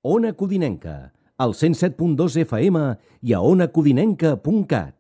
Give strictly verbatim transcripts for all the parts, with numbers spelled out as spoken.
Ona Codinenca, al cent set punt dos F M i a ona codinenca punt cat.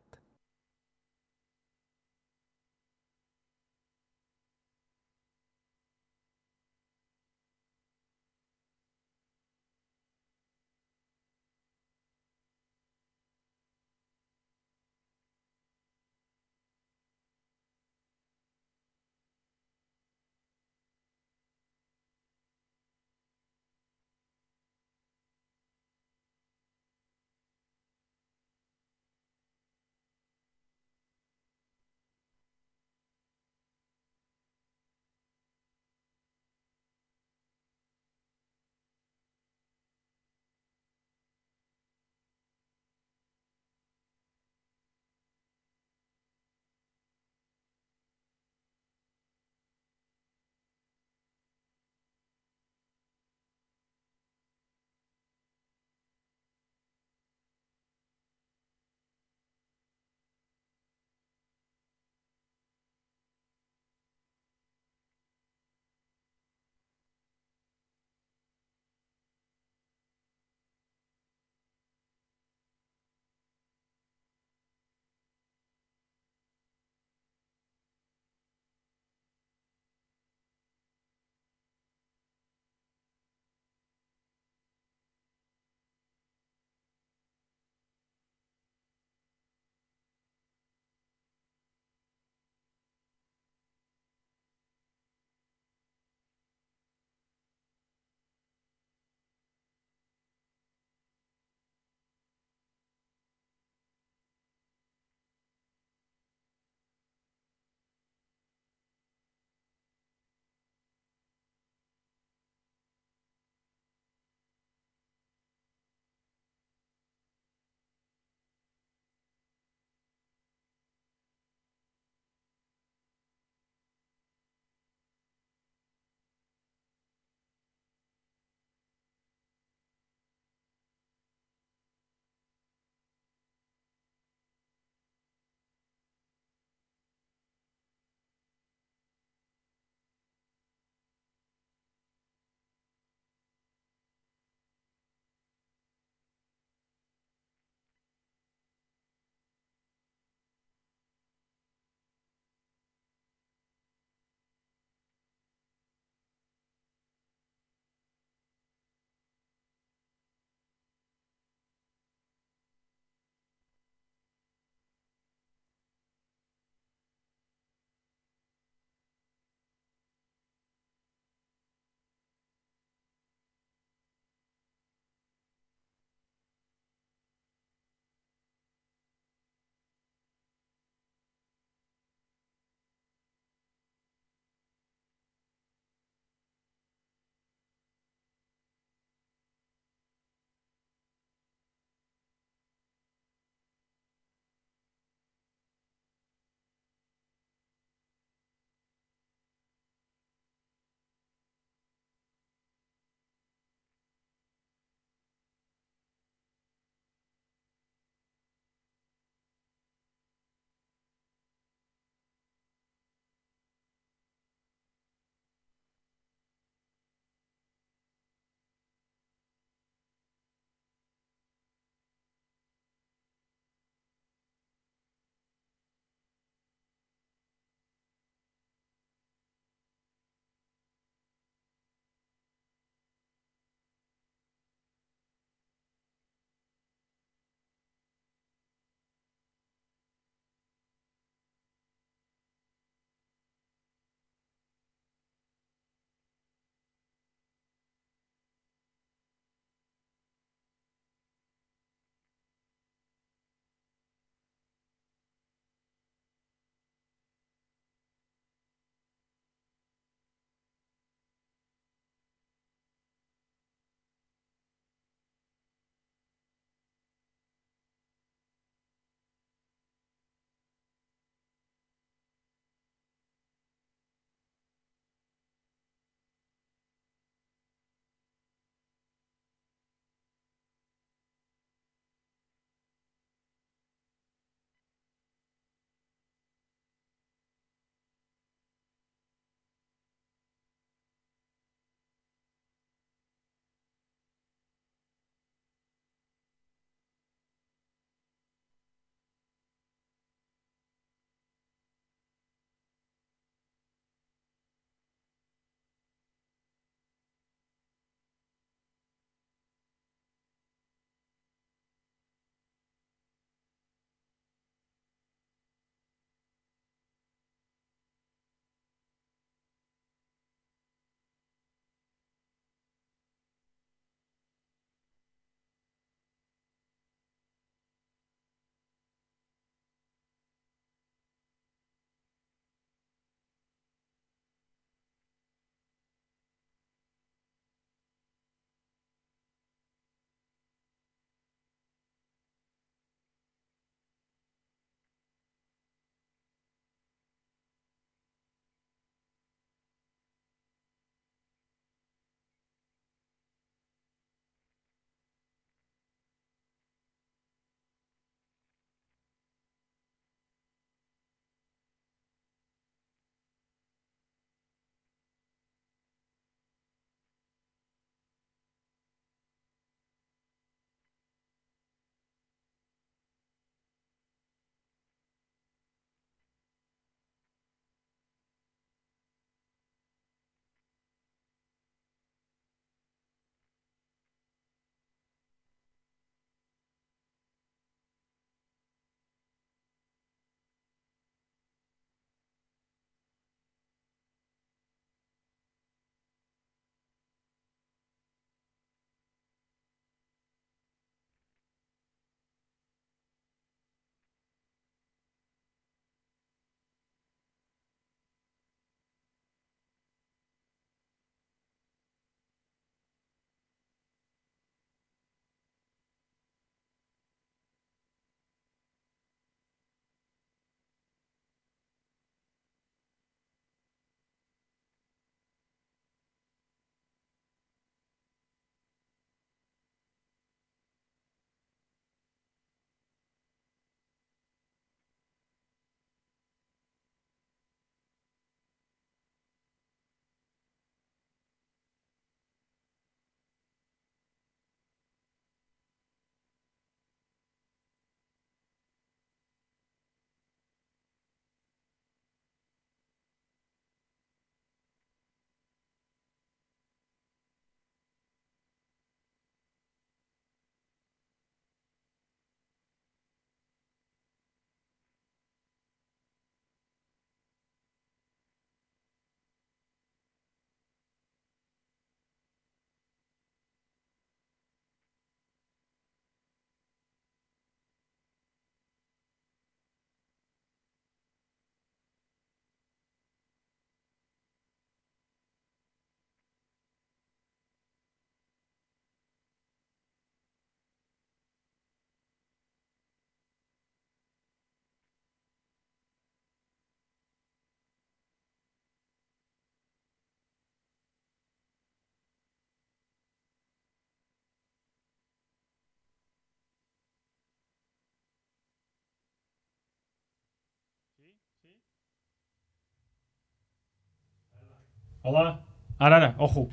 Hola. Ara, ara, ojo.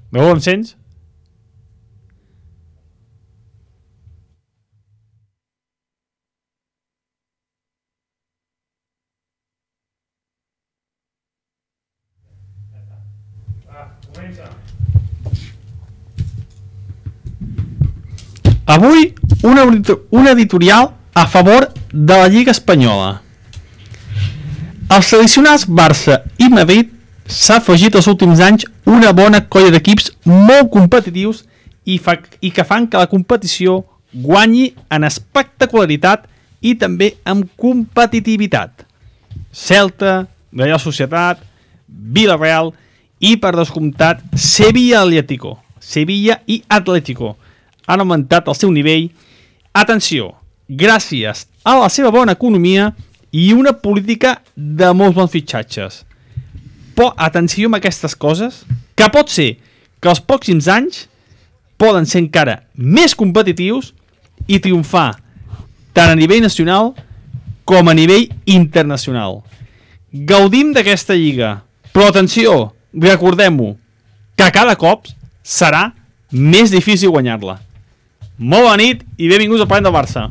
Veu, em sents? Avui una, una editorial a favor de la Lliga Espanyola. Als tradicionals Barça i Madrid s'ha afegit els últims anys una bona colla d'equips molt competitius i, fa, i que fan que la competició guanyi en espectacularitat i també en competitivitat. Celta, Real Societat, Villarreal i, per descomptat, Sevilla Atlético. Sevilla i Atlético han augmentat el seu nivell, atenció, gràcies a la seva bona economia i una política de molts bons fitxatges. Però atenció amb aquestes coses, que pot ser que els pròxims anys poden ser encara més competitius i triomfar tant a nivell nacional com a nivell internacional. Gaudim d'aquesta lliga, però atenció, recordem-ho, que cada cop serà més difícil guanyar-la. Molt bona nit i benvinguts al Parlem del Barça.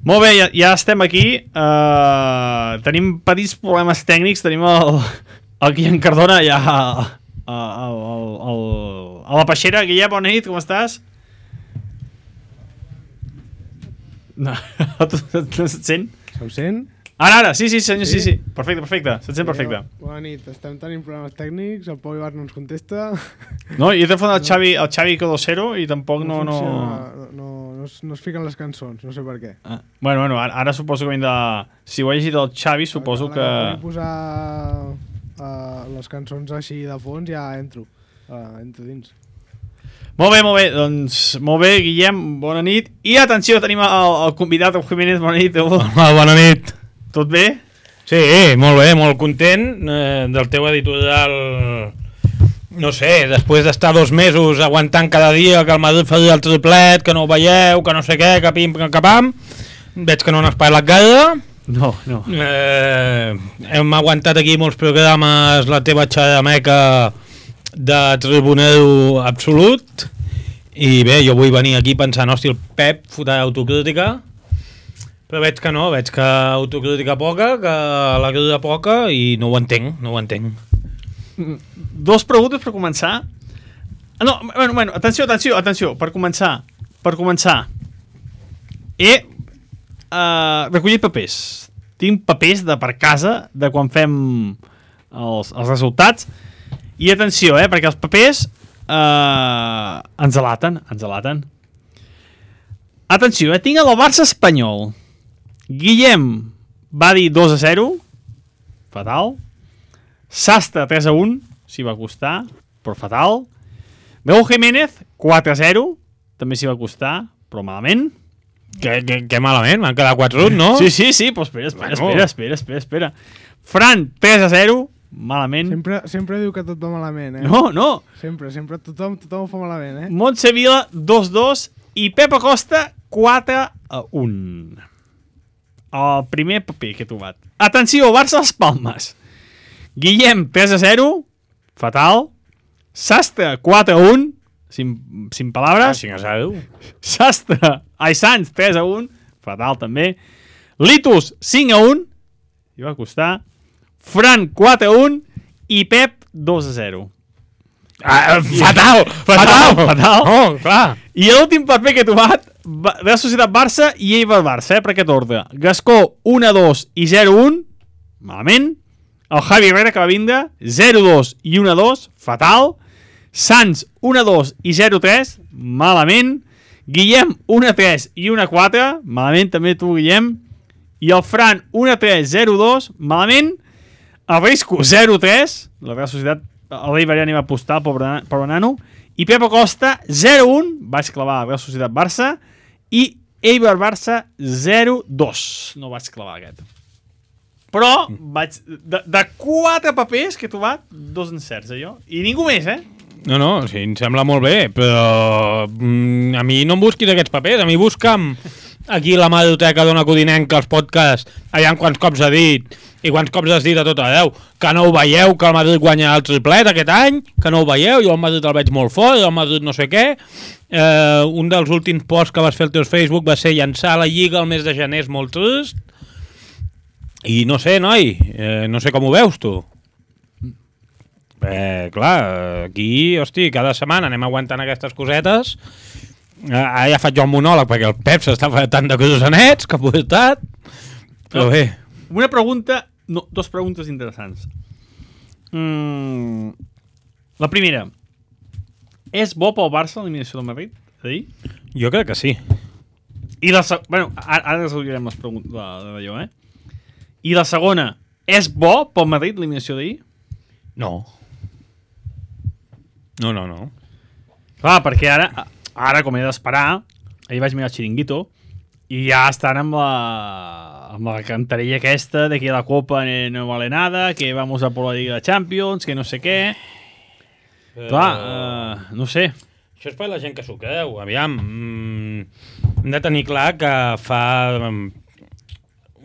Molt bé, ja, ja estem aquí. Uh, tenim petits problemes tècnics. Tenim el, el Guillem Cardona ja a, a, a, a, a la peixera. Guillem, bona nit, com estàs? No, no se't sent? Se'm sent? Ara, ara, sí, sí, senyor, sí, sí, sí. Perfecte, perfecte, se't sent perfecte. Bona nit, estem tenint problemes tècnics, el Pau Ibar no ens contesta. No, jo he telefon el Xavi, el Xavi Codosero i tampoc no... No, no, no, no, es, no es fiquen les cançons, no sé per què. Ah, bueno, bueno, ara, ara suposo que hem de... Si ho he llegit el Xavi, suposo que... Ara que posar uh, les cançons així de fons ja entro, uh, entro dins. Molt bé, molt bé, doncs molt bé, Guillem, bona nit. I atenció, tenim el, el convidat, el Jiménez, bona nit. Hola, bona nit. Tot bé? Sí, molt bé, molt content eh, del teu editorial. No sé, després d'estar dos mesos aguantant cada dia que el Madrid faria el triplet, que no ho veieu, que no sé què, que pim, que pam, veig que no n'has parlat gaire. No, no. Eh, hem aguantat aquí molts programes, la teva xarameca de tribunero absolut, i bé, jo vull venir aquí pensant, hòstia, el Pep fotrà autocrítica, però veig que no, veig que autocrítica poca, que la crida poca, i no ho entenc, no ho entenc. Dos preguntes per començar. No, bueno, bueno, atenció, atenció, atenció, per començar, per començar. He uh, recollit papers. Tinc papers de per casa, de quan fem els, els resultats. I atenció, eh, perquè els papers eh, ens alaten, ens alaten. Atenció, eh, tinc el Barça espanyol. Guillem va dir dos a zero, fatal. Sastre tres a un, s'hi va costar, però fatal. Raúl Jiménez quatre a zero, també s'hi va costar, però malament. Que, que, que malament, m'han quedat quatre un, no? Sí, sí, sí, però espera, espera, espera, espera, espera, espera. Fran tres a zero, malament. Sempre, sempre diu que tot va malament, eh? No, no. Sempre, sempre, tothom, tothom ho fa malament, eh? Montse Vila dos a dos i Pep Acosta quatre a un. El primer paper que he trobat. Atenció, Barça Las Palmes. Guillem tres a zero, fatal. Sastre quatre a un, sin, sin palabras. Ah, cinc a zero. Sastre, ai, Sants tres a un, fatal també. Litus cinc a un, i va costar. Fran quatre a un i Pep dos a zero. Ah, fatal, fatal, fatal. Oh, clar. I l'últim paper que he trobat, Real Societat Barça i Eibar Barça, eh, per aquest ordre. Gascó un a dos i zero a un, malament. El Javi Herrera, que va vindre, zero a dos i un a dos, fatal. Sants un a dos i zero a tres, malament. Guillem un a tres i un a quatre, malament també tu, Guillem. I el Fran un a tres, zero a dos, malament. El Risco zero a tres, la Real Societat, l'Eibar ja n'hi va apostar, pobre, pobre nano. I Pep Acosta zero a un, vaig clavar la Real Societat Barça, i Eibar Barça zero a dos, no vaig clavar aquest. Però vaig... De, de quatre papers que he trobat, dos encerts, allò. I ningú més, eh? No, no, sí, em sembla molt bé, però mm, a mi no em busquis aquests papers, a mi busca'm aquí la Madroteca d'Ona Codinenca, els podcasts, allà quants cops ha dit i quants cops has dit a tot arreu, que no ho veieu, que el Madrid guanya el triplet aquest any, que no ho veieu, jo el Madrid el veig molt fort, el Madrid no sé què. Eh, un dels últims posts que vas fer al teu Facebook va ser llançar la Lliga el mes de gener, és molt trist, i no sé, noi, eh, no sé com ho veus tu. Eh, clar, aquí, hosti, cada setmana anem aguantant aquestes cosetes. Ara ja faig jo el monòleg perquè el Pep s'està fent tant de crosanets que ha portat. Però bé. Una pregunta, no, dos preguntes interessants. Mm, la primera, és bo pel Barça l'eliminació del Madrid? A dir? Jo crec que sí. I la segona, bueno, ara, ara resolvirem les preguntes d'allò, eh? I la segona, és bo pel Madrid l'eliminació d'ahir? No. No, no, no. Clar, perquè ara, ara com he d'esperar, ahir vaig mirar el Chiringuito i ja estan amb la, amb la cantarella aquesta de que la Copa no vale nada, que vamos a por la Liga de Champions, que no sé què. Uh... Clar, uh, no sé. Això és per la gent que s'ho creu. Aviam, mm, hem de tenir clar que fa um,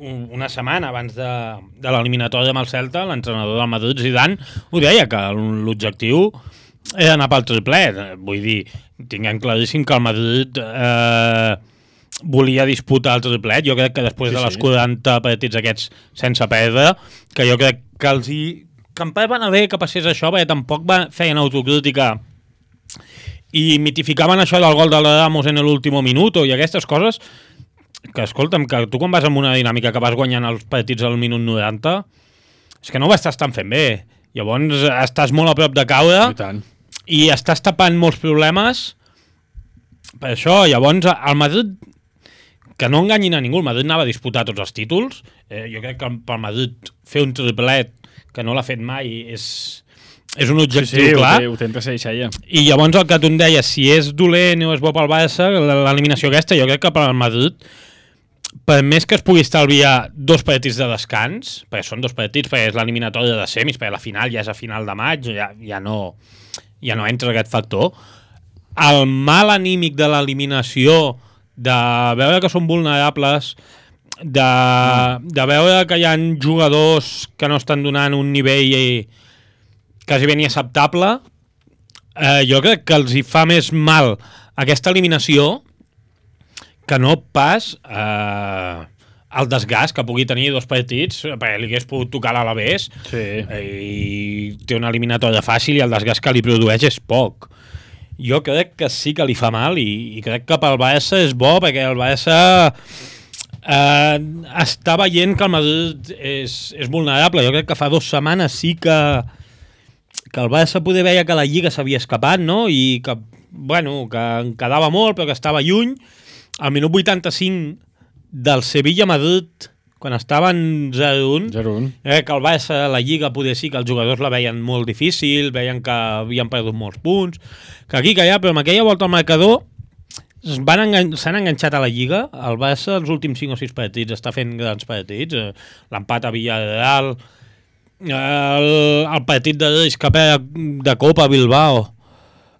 una setmana abans de, de l'eliminatòria amb el Celta, l'entrenador del Madrid, Zidane, ho deia, que l'objectiu era anar pel triplet. Vull dir, tinguem claríssim que el Madrid eh, volia disputar el triplet. Jo crec que després sí, de les sí. quaranta partits aquests sense perdre, que jo crec que els hi... que en part van haver que passés això, perquè tampoc va, feien autocrítica i mitificaven això del gol de la Ramos en l'últim minut i aquestes coses que, escolta'm, que tu quan vas amb una dinàmica que vas guanyant els partits al minut noranta, és que no ho estàs tan fent bé. Llavors estàs molt a prop de caure i, i estàs tapant molts problemes per això. Llavors el Madrid, que no enganyin a ningú, el Madrid anava a disputar tots els títols. Eh, jo crec que pel Madrid fer un triplet que no l'ha fet mai és, és un objectiu sí, sí, clar. Ho té, ho té ja. I llavors el que tu em deies, si és dolent o és bo pel Barça, l'eliminació aquesta, jo crec que pel Madrid, per més que es pugui estalviar dos partits de descans, perquè són dos partits, perquè és l'eliminatòria de semis, perquè la final ja és a final de maig, ja, ja, no, ja no entra aquest factor, el mal anímic de l'eliminació, de veure que són vulnerables, de, de veure que hi ha jugadors que no estan donant un nivell quasi ben acceptable, eh, jo crec que els hi fa més mal aquesta eliminació que no pas eh, el desgast que pugui tenir dos partits, perquè li hagués pogut tocar a l'Alavés sí. i té una eliminatòria fàcil i el desgast que li produeix és poc. Jo crec que sí que li fa mal i, i crec que pel Barça és bo, perquè el Barça eh, està veient que el Madrid és, és vulnerable. Jo crec que fa dues setmanes sí que que el Barça poder veia que la Lliga s'havia escapat, no? I que, bueno, que en quedava molt però que estava lluny. Al minut vuitanta-cinc del Sevilla-Madrid, quan estaven zero un, eh, que el Barça, la Lliga, poder sí que els jugadors la veien molt difícil, veien que havien perdut molts punts, que aquí, que allà, però amb aquella volta al marcador s'han engan enganxat a la Lliga. El Barça, els últims cinc o sis partits, està fent grans partits. Eh, L'empat a Villarreal, el, el partit de Reis que perd de Copa a Bilbao,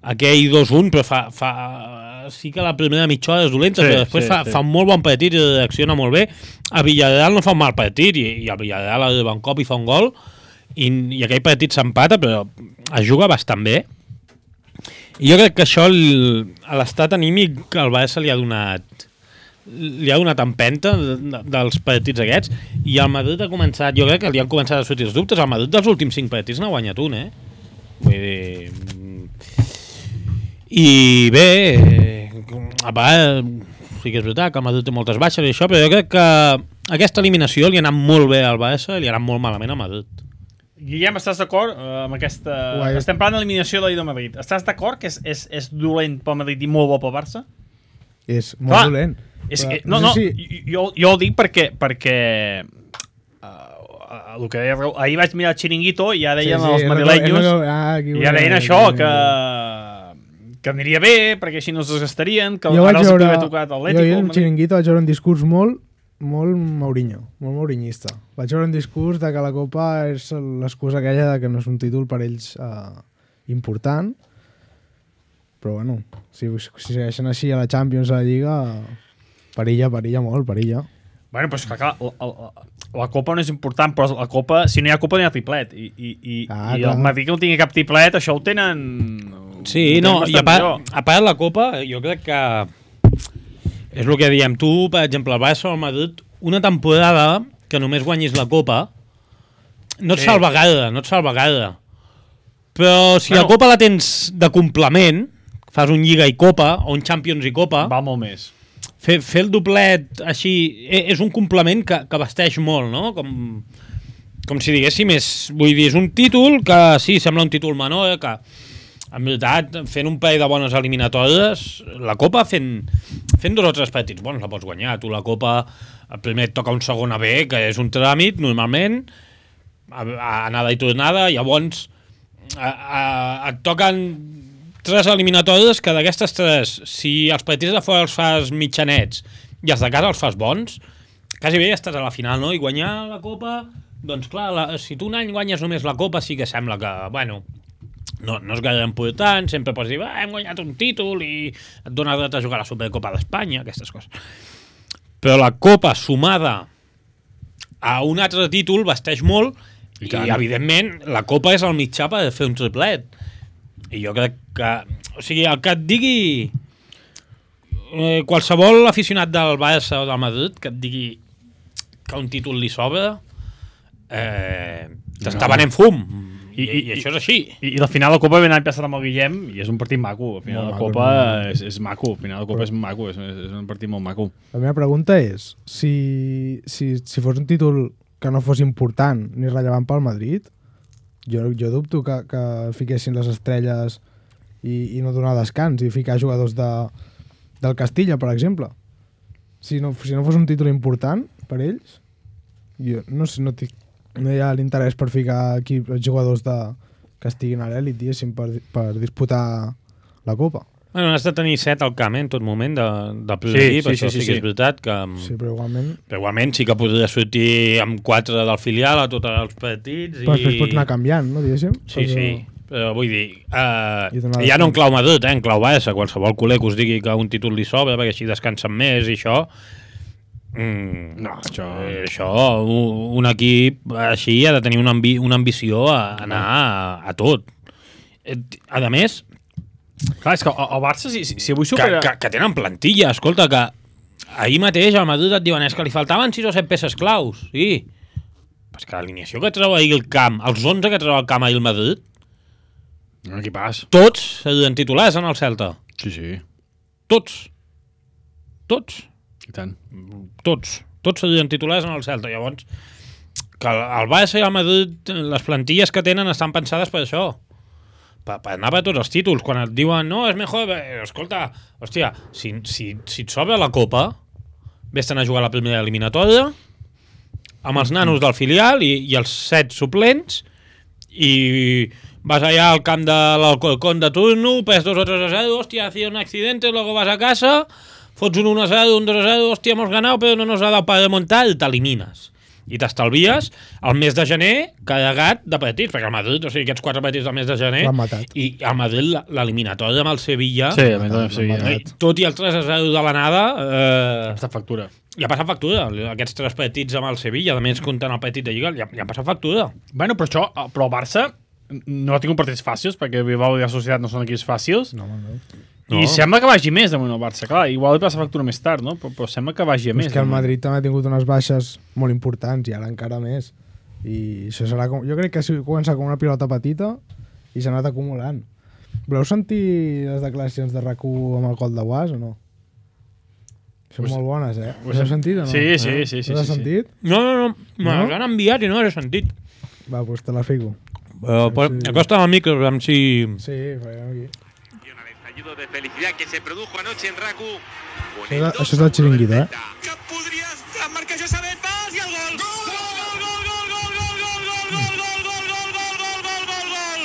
aquell dos un, però fa... fa sí que la primera mitja hora és dolenta, sí, però després sí, fa, sí. fa un molt bon partit i reacciona molt bé. A Villarreal no fa un mal partit i, i a Villarreal arriba un cop i fa un gol i, i aquell partit s'empata, però es juga bastant bé. I jo crec que això a l'estat anímic que el Barça li ha donat li ha donat empenta de, de, dels partits aquests, i el Madrid ha començat, jo crec que li han començat a sortir els dubtes. El Madrid dels últims cinc partits n'ha guanyat un, eh? Vull dir... I bé, a part, sí que és veritat que el Madrid té moltes baixes i això, però jo crec que aquesta eliminació li ha anat molt bé al Barça i li ha anat molt malament al Madrid. Guillem, estàs d'acord uh, amb aquesta... Uai. Estem parlant d'eliminació de l'I del Madrid. Estàs d'acord que és, és, és dolent pel Madrid i molt bo pel Barça? És molt Clar, dolent. És, però, no, no, si... jo, jo ho dic perquè... perquè uh, el que deia, ahir vaig mirar el Chiringuito i ja deien sí, sí, els madrilenyos no, no, ah, i ja deien això, que... que aniria bé, perquè així no es desgastarien, que jo ara els veure, havia tocat l'Atlético. Jo al Chiringuito vaig veure un discurs molt molt Mourinho, molt mourinhista. Vaig veure un discurs de que la Copa és l'excusa aquella de que no és un títol per ells eh, important, però bueno, si, si segueixen així a la Champions, a la Lliga, perilla, perilla molt, perilla. Bueno, però és que clar, la, la, la Copa no és important, però la Copa, si no hi ha Copa no hi ha triplet, i, i, i, ah, i el Madrid que no tingui cap triplet, això ho tenen... Sí, ho tenen no, i a part, millor. a part la Copa, jo crec que és el que diem tu, per exemple, el Barça o el Madrid, una temporada que només guanyis la Copa, no et Sí. salva gaire, no et salva gaire. Però si Bueno. la Copa la tens de complement, fas un Lliga i Copa, o un Champions i Copa, Val molt més. fer, fer el doblet així e- és un complement que, que vesteix molt, no? Com, com si diguéssim, és, vull dir, és un títol que sí, sembla un títol menor, eh, que en veritat, fent un parell de bones eliminatòries, la Copa fent, fent dos o tres partits bons la pots guanyar. Tu la Copa, el primer et toca un segon A B, que és un tràmit, normalment, a, a anada i tornada, llavors a, a, et toquen tres eliminatòries que d'aquestes tres, si els partits de fora els fas mitjanets i els de casa els fas bons, quasi bé ja estàs a la final, no? I guanyar la Copa, doncs clar, la, si tu un any guanyes només la Copa sí que sembla que, bueno, no, no és gaire important, sempre pots dir, ah, hem guanyat un títol i et dona dret a jugar a la Supercopa d'Espanya, aquestes coses. Però la Copa sumada a un altre títol vesteix molt i, i evidentment, la Copa és el mitjà per fer un triplet. I jo crec que... O sigui, el que et digui eh, qualsevol aficionat del Barça o del Madrid que et digui que un títol li sobra eh, t'està No. venent fum. I, I- i, i això és així. I, i al final la Copa ve l'any passat amb el Guillem i és un partit maco. Al final Molt la maco, Copa molt és, és maco. Al final la Copa és maco. És, és un partit molt maco. La meva pregunta és, si, si, si fos un títol que no fos important ni rellevant pel Madrid, jo, jo dubto que, que fiquessin les estrelles i, i no donar descans i ficar jugadors de, del Castilla, per exemple. Si no, si no fos un títol important per ells, jo no sé, no, tic, no hi ha l'interès per ficar aquí els jugadors de, que estiguin a l'elit, diguéssim, per, per disputar la Copa. Bueno, has de tenir set al camp, eh, en tot moment, de, del primer Sí, equip, sí, això sí, sí, sí, que sí. és veritat que... Sí, però igualment... Però igualment sí que podria sortir amb quatre del filial a tots els partits i... Però després pots anar canviant, no, diguéssim? Sí, Però- sí, però vull dir, uh, I donar ja no en descans. clau Madrid, eh, en clau Barça, qualsevol culer que us digui que un títol li sobra perquè així descansen més i això... Mm, No, això- eh, això, un, un equip així ha de tenir una, ambi una ambició a anar a, a tot. Eh, A més, Clar, és que el, el Barça, si, si, si avui que, supera... que, que tenen plantilla, escolta, que ahir mateix al Madrid et diuen és que li faltaven sis o set peces claus, sí. Però és que l'alineació que treu ahir el camp, els onze que treu el camp ahir el Madrid, Un equipàs. tots serien titulars en el Celta. Sí, sí. Tots. Tots. I tant. Tots. Tots serien titulars en el Celta. Llavors, que el el Barça i el Madrid, les plantilles que tenen estan pensades per això. Per, per anar per tots els títols. Quan et diuen, no, és millor... Eh, escolta, hòstia, si, si, si et sobra la Copa, vés-te'n a jugar la primera eliminatòria amb els nanos del filial i, i els set suplents i vas allà al camp de l'Alcorcón de turno, pes dos o tres a zero, hòstia, hacía un accidente, luego vas a casa, fots un uno a zero, un dos a zero, hòstia, hemos ganado, però no nos ha dado para remontar, i t'elimines. I t'estalvies el mes de gener carregat de partits, perquè el Madrid, o sigui, aquests quatre partits del mes de gener, L'han matat. i el Madrid, l'eliminatòria amb el Sevilla, Sí, a més, sí, L'han sí. matat. tot i el tres a zero de l'anada, eh, Està factura. ja ha passat factura. Aquests tres partits amb el Sevilla, a més comptant el partit de Lliga, ja, ja ha passat factura. Bueno, però això, però el Barça no ha tingut partits fàcils, perquè Bilbao i la Societat no són equips fàcils, No, home, no. i No. sembla que vagi més damunt el Barça. Clar, igual li passa factura més tard, no? Però, però sembla que vagi a Però més. és que el damunt. Madrid també ha tingut unes baixes molt importants i ara encara més. I això serà com... Jo crec que ha començat com una pilota petita i s'ha anat acumulant. Voleu sentir les declaracions de R A C u amb el gol de Guas o no? Són Us- molt bones, eh? us- Les heu sentit o no? Sí, sí, Eh? sí, sí, Les has sí, sí. sentit? No, no, no, me No? les han enviat i no les he sentit. Va, doncs te la fico. Però, però Sí. acosta al micro, a veure si... Sí, farem aquí. Y un estallido de felicidad que se produjo anoche en RACU. Això és, això és del xiringuito, eh? Que podries marcar Josabet Paz i el gol. Gol, gol, gol, gol, gol, gol, gol, gol, gol, gol, gol, gol, gol, gol, gol, gol, gol, gol.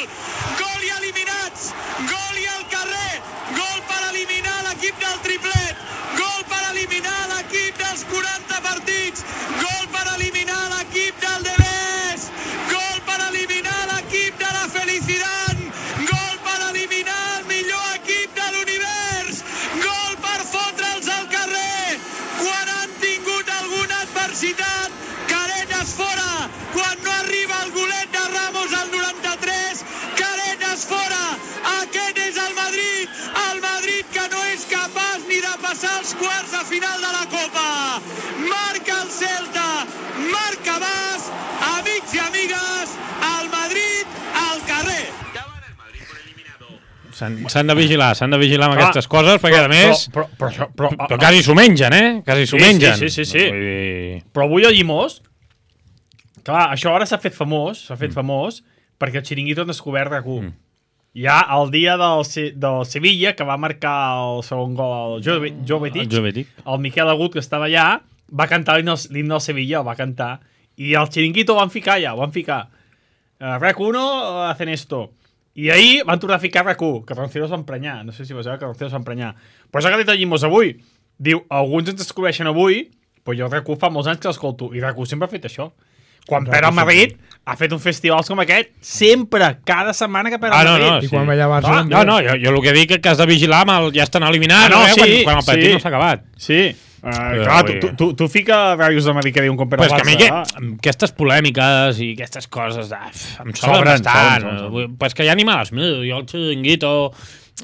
Gol i eliminats. Gol i al carrer. Gol per eliminar l'equip del triplet. Gol per eliminar l'equip dels quaranta partits. Gol per eliminar l'equip del Debes. Gol per eliminar l'equip de la Felicidad. Gol per eliminar el millor equip de l'univers. Gol per fotre'ls al carrer quan han tingut alguna adversitat. Caretas fora quan no arriba el golet de Ramos al noranta-tres. Caretas fora. Aquest és el Madrid. El Madrid que no és capaç ni de passar els quarts de final de la Copa. Marca el Celta. Marca Bas. Amics i amigues, el Madrid al carrer. S'han de vigilar, s'han de vigilar amb Clar, aquestes coses, perquè a més... Però, però, però, però, però, Però quasi s'ho mengen, eh? Quasi s'ho Sí, mengen. sí, sí, sí, sí. Vull dir... però avui a Llimós, clar, això ara s'ha fet famós, s'ha fet mm. famós, perquè el xiringuito han descobert R A Q. Mm. Ja el dia del, del Sevilla, que va marcar el segon gol al Jovetic, El Jovetic. el Miquel Agut, que estava allà, va cantar l'himne del Sevilla, el va cantar, i el xiringuito ho van ficar ja, ho van ficar. Uh, R A Q uno hacen esto. I ahir van tornar a ficar R A Q, que Roncero es va emprenyar. No sé si vas veure que Roncero es va emprenyar. Però això que ha dit el Llimós avui. Diu, alguns ens descobreixen avui, però jo R A Q fa molts anys que l'escolto. I R A Q sempre ha fet això. Quan perd el Madrid, ha fet un festival com aquest, sempre, cada setmana que perd el Ah, no, Madrid. no, I sí. quan veia Barça... Ah, no, no, jo, jo el que dic és que has de vigilar amb el... Ja estan eliminant, Ah, no, eh? sí, quan, quan el partit sí. no s'ha acabat. Sí. Uh, clar, tu, tu, tu, tu fica ràdios de Madrid que diuen com perd Però el és que a mi Barça. que, aquestes polèmiques i aquestes coses de, em sobren Sobren, bastant. sobren, sobren. Vull- Però és que ja ni me les mido. Jo el xiringuito,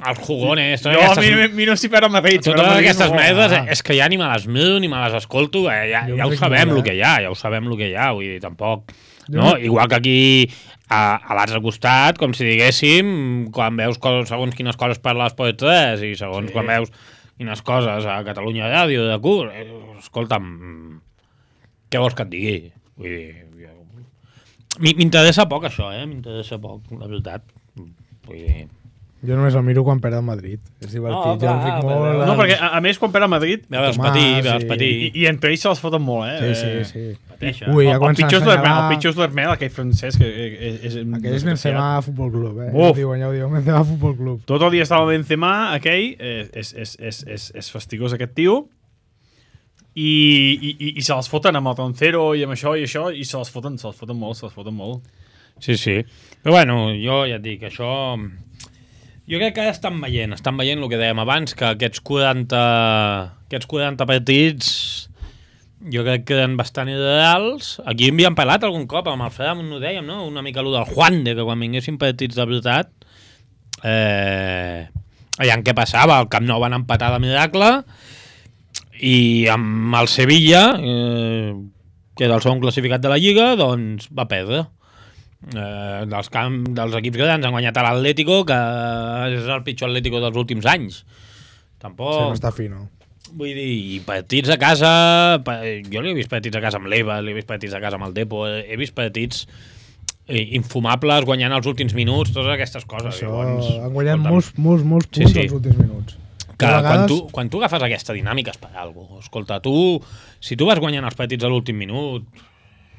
els jugones, totes Jo, a aquestes... mi, mi no s'hi perd el Madrid. si perd el Totes Madrid, aquestes no. merdes, Ah. és que ja ni me les mido ni me les escolto, eh, ja, Jo ja ho crec sabem molt, el eh? que hi ha, ja ho sabem el que hi ha, vull dir, tampoc... Jo No? no- Igual que aquí, a, a l'altre costat, com si diguéssim, quan veus coses, segons quines coses per l'Esport tres i segons Sí. quan veus quines coses a Catalunya Ràdio, de cur, eh, escolta'm, què vols que et digui? Vull dir, jo... Mi- m'interessa poc això, eh? M'interessa poc, la veritat. Vull dir... Jo només el miro quan perd el Madrid. És divertit, Oh, jo clar, el fic però- molt... No, perquè a, a més, quan perd el Madrid, Ja veus Tomàs patir, veus i- patir. i, i entre ells se les foten molt, eh? Sí, sí, sí. Pateixa. Ui, ja el, el comencen a pitjor és l'Hermel, assenyalar- el pitjor és l'Hermel, aquell francès que és... és, és Aquell és Benzema Futbol Club, eh? Uf. Ja ho diuen, ja ho diuen, Benzema Futbol Club. Tot el dia estava Benzema, aquell, eh, és, és, és, és, és fastigós aquest tio, i, i, i, i se les foten amb el Roncero i amb això i això, i se les foten, se les foten molt, se les foten molt. Sí, sí. Però bueno, jo ja et dic, això... Jo crec que ara estan veient, estan veient el que dèiem abans, que aquests quaranta, aquests quaranta partits jo crec que eren bastant ideals. Aquí havíem parlat algun cop, amb el Fram no ho dèiem, no? Una mica allò del Juande, que quan vinguessin partits de veritat, eh, aviam què passava, al Camp Nou van empatar de miracle, i amb el Sevilla, eh, que era el segon classificat de la Lliga, doncs va perdre. Eh, dels, camp, dels equips grans han guanyat a l'Atlético, que és el pitjor Atlético dels últims anys. Tampoc... Sí, no està fi, no. Vull dir, i partits a casa... pa- Jo li he vist partits a casa amb l'Eva, li he vist partits a casa amb el Depo, he he vist partits eh, infumables guanyant els últims minuts, totes aquestes coses. Això, Llavors, han guanyat escolta'm, molts, molts, molts Sí, punts sí. els últims minuts. que A quan, vegades- tu, quan tu agafes aquesta dinàmica és per alguna cosa. Escolta, tu, si tu vas guanyant els partits a l'últim minut,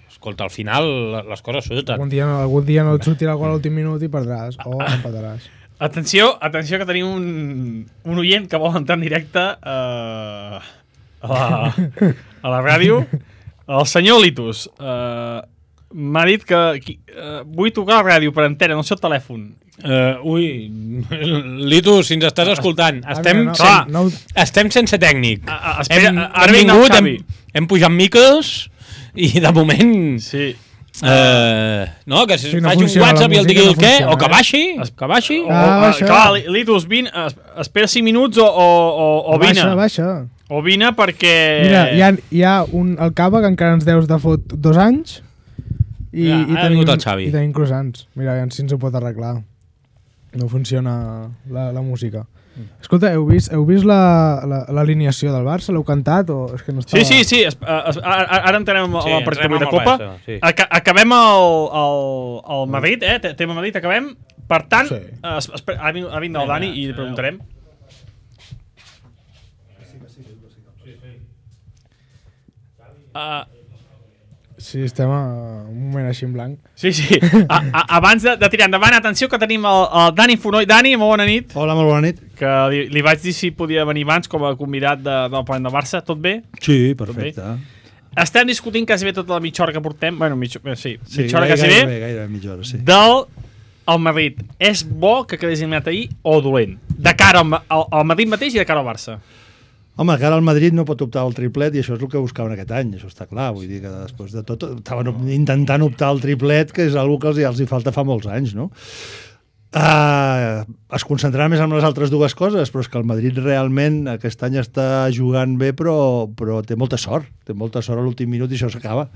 escolta, al final les coses surten. Algun dia, no, algun dia no et sortirà el gol a l'últim minut i perdràs, o empataràs. Atenció, atenció que tenim un, un oient que vol entrar en directe uh, a, la, a la ràdio. El senyor Litus uh, m'ha dit que qui, uh, vull tocar a la ràdio per entera, no sé el telèfon. Uh, ui, Litus, si ens estàs escoltant, estem, no, sen, no, estem sense tècnic. A, a, espera, hem, ara hem vinc el vingut, hem, Xavi. hem pujat micros i de moment... Sí. Uh, no, que si Sí, no faci un funciona, WhatsApp la i el digui música el no què, funciona, o que eh? baixi, que baixi. O, Ah, uh, baixa. clar, Litus, vine, es, espera cinc minuts o, o, o, o vine. Baixa, baixa. O vine perquè... Mira, hi ha, hi ha un, el Cava que encara ens deus de fot dos anys i, Ja, i, ha tenim, vingut el Xavi. i tenim croissants. Mira, aviam si ens ho pot arreglar. No funciona la, la música. Escolta, heu vist, heu vist la- la- l'alineació del Barça? L'heu cantat? O és que no estava... Sí, sí, sí. Es, es, ara, ara entrem amb Sí, sí, el partit entrem de amb el Copa. Barça, sí. Aca acabem el, el, el Madrid, eh? Te- Tema Madrid, acabem. Per tant, Sí. es, es, ha vingut, ha vingut el Dani i li preguntarem. Uh, Sí, estem a un moment així en blanc. sí, sí. A, a, abans de, de tirar endavant, atenció que tenim el, el Dani Fonoll. Dani, molt bona nit. Hola, molt bona nit. Que li, li vaig dir si podia venir abans com a convidat de, del Partit de Barça. Tot bé? Sí, perfecte. estem discutint quasi bé tota la mitja hora que portem, bueno, mitja, sí, Sí, mitja hora gairebé, quasi bé, gairebé, gairebé mitja hora, sí. del el Madrid. És bo que quedés eliminat ahir o dolent? De cara al, al, al Madrid mateix i de cara al Barça. Home, que ara el Madrid no pot optar al triplet i això és el que buscaven aquest any, això està clar. Vull dir que després de tot estaven intentant optar al triplet, que és una que els, els hi falta fa molts anys, no? Uh, es concentrarà més en les altres dues coses, però és que el Madrid realment aquest any està jugant bé, però, però té molta sort, té molta sort a l'últim minut i això s'acaba.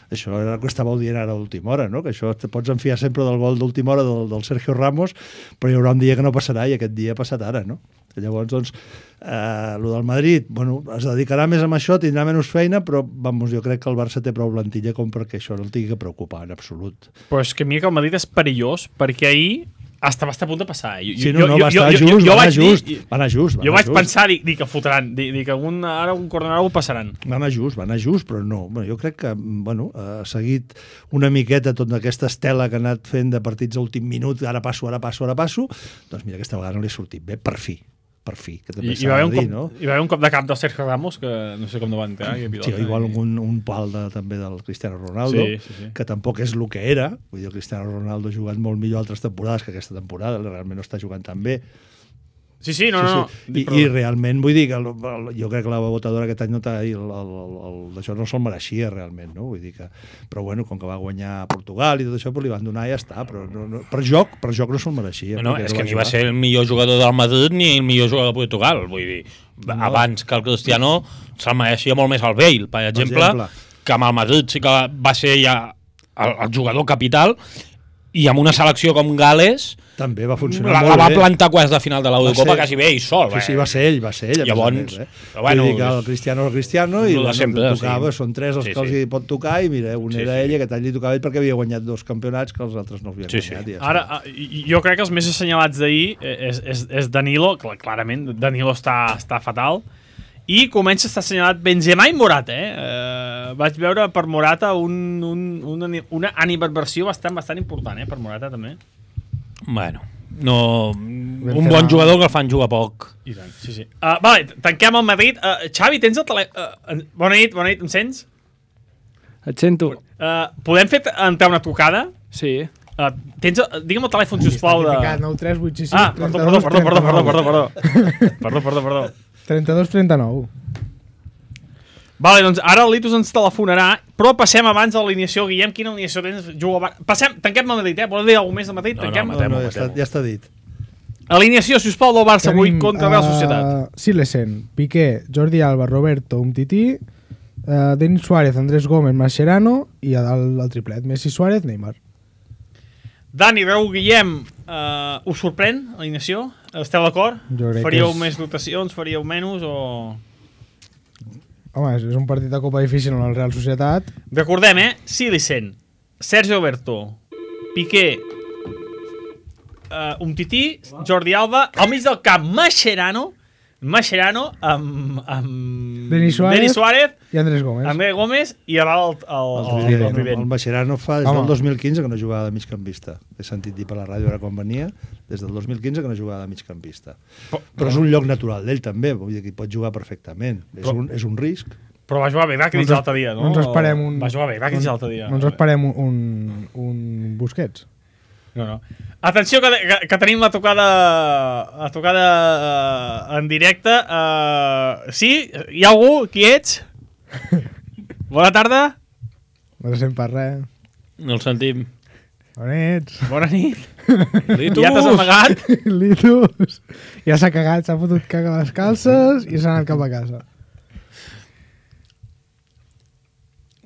Això era el que estàveu dient ara a l'última hora, no? Que això te pots enfiar sempre del gol d'última hora del, del Sergio Ramos, però hi haurà un dia que no passarà i aquest dia ha passat ara, no? Que llavors, doncs, eh, el del Madrid, bueno, es dedicarà més a això, tindrà menys feina, però, vamos, jo crec que el Barça té prou plantilla com perquè això no el tingui que preocupar en absolut. Però és que mira que el Madrid és perillós, perquè ahir hasta va estar a punt de passar. Jo, sí, no, no, va estar just, va anar just, va anar just. Jo vaig pensar, dic, dic que fotran, dic, dic que un, ara un corner ho passaran. Va anar just, va anar just, però no. Bueno, jo crec que, bueno, ha seguit una miqueta tota aquesta estela que ha anat fent de partits a últim minut, ara passo, ara passo, ara passo, doncs mira, aquesta vegada no li ha sortit bé, per fi. per fi, que també s'ha de dir, cop, no? Hi va haver un cop de cap del Sergio Ramos, que no sé com no va entrar. Sí, igual un, un pal de, també del Cristiano Ronaldo, sí, sí, sí. que tampoc és el que era. Vull dir, el Cristiano Ronaldo ha jugat molt millor altres temporades que aquesta temporada, realment no està jugant tan bé. Sí, sí, no, sí, no. Sí. I, I realment, vull dir, que el, el, jo crec que la votadora aquest any no el, el, el, el, això no se'l mereixia realment, no? Vull dir que, però bueno, com que va guanyar Portugal i tot això, però li van donar i ja està, però no, no, per joc, per joc no se'l mereixia. No, no és que ni va ser el millor jugador del Madrid ni el millor jugador de Portugal, vull dir, no. Abans que el Cristiano se'l mereixia molt més el Bale, per exemple, per exemple, que amb el Madrid sí que va ser ja el, el jugador capital, i amb una selecció com Gales també va funcionar la, molt la va bé. plantar quasi de final de l'Eurocopa quasi bé i sol. Sí, sí, va ser ell, va ser ell. Llavors, eh? però bueno, vull dir que el Cristiano el Cristiano i bueno, sempre, tocava, sí. són tres els sí, que els sí. hi pot tocar i mira, un sí, era sí. ell i aquest any li tocava ell perquè havia guanyat dos campionats que els altres no havien sí, guanyat. Sí. Ja ara, jo crec que els més assenyalats d'ahir és, és, és Danilo, clarament, Danilo està, està fatal, i comença a estar assenyalat Benzema i Morata, eh? eh vaig veure per Morata un, un, una, una animadversió bastant, bastant important, eh? Per Morata també. Bueno, no, un bon jugador que el fan jugar poc. I tant, sí, sí. Uh, vale, tanquem el Madrid. Uh, Xavi, tens el telèfon? Uh, bona nit, bona nit, em sents? Et sento. Uh, podem fer entrar una trucada? Sí. Uh, tens, uh, digue'm el telèfon, sisplau. De... nou tres vuit sis cinc Ah, perdó, perdó, perdó, perdó, perdó, perdó, perdó. Perdó, perdó, perdó. trenta-dos trenta nou. Vale, doncs ara el Litus ens telefonarà, però passem abans de l'alineació. Guillem, quina alineació tens? Juga... Passem, tanquem el Madrid, eh? Vols dir alguna més de Madrid? No, tanquem? no, No, no, ja, està, ja està dit. Alineació, sisplau, del Barça avui contra Real Societat. Uh, Silesen, Piqué, Jordi Alba, Roberto, Umtiti, uh, Denis Suárez, Andrés Gómez, Mascherano i el, el triplet, Messi, Suárez, Neymar. Dani, Raúl, Guillem, uh, us sorprèn l'alineació? Esteu d'acord? Faríeu és... més rotacions, faríeu menys o... Home, és un partit de Copa difícil en el Real Societat. Recordem, eh? Silicen, Sergio Roberto, Piqué, uh, Umtiti, Jordi Alba, al mig del camp, Mascherano, Mascherano amb, amb Denis Suárez, Denis Suárez i Andrés Gómez. Andrés Gómez i a dalt el, el, el, el, el, el, El Mascherano fa des Home. del dos mil quinze que no jugava de migcampista. He sentit dir per la ràdio ara quan venia, des del dos mil quinze que no jugava de migcampista. Però, Però és un lloc natural d'ell també, vull dir que hi pot jugar perfectament. És un, és un risc. però va jugar bé Rakitic l'altre dia, no? No ens esperem un... Va jugar bé Rakitic l'altre dia. No ens esperem un, un, un Busquets. No, no. Atenció que, que, que tenim la tocada la tocada uh, en directe. Uh, sí? Hi ha algú? Qui ets? Bona tarda. No se sent per res. No el sentim. On ets? Bona nit. Litus! Ja t'has amagat? Litus. Ja s'ha cagat, s'ha fotut caca a les calces i s'ha anat cap a casa.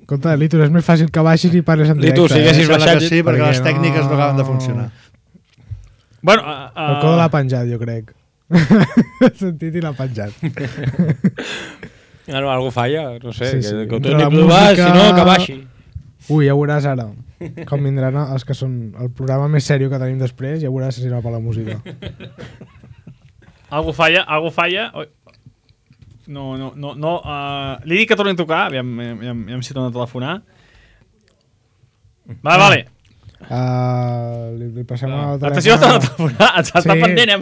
Compte, Litus, és més fàcil que baixis i parles en directe. Litus, si eh? haguessis Sembla baixat... que sí, perquè perquè les tècniques no... no acaben de funcionar. Bueno, uh, uh, El code l'ha penjat, jo crec. He sentit i l'ha penjat. Bueno, algú falla, no sé, Sí, sí, sí. que, que ho Entre torni la a provar, música- si no, que baixi. Ui, ja veuràs ara com vindran els que són el programa més sèrio que tenim després, ja veuràs si serà per la música. algú falla, algú falla. Oi. No, no, no, no. Uh, li dic que torni a tocar, aviam, aviam, aviam si torna a telefonar. Vale, vale. Uh, li, li passem el telèfon... Atenció, està, està, està sí. pendent, eh?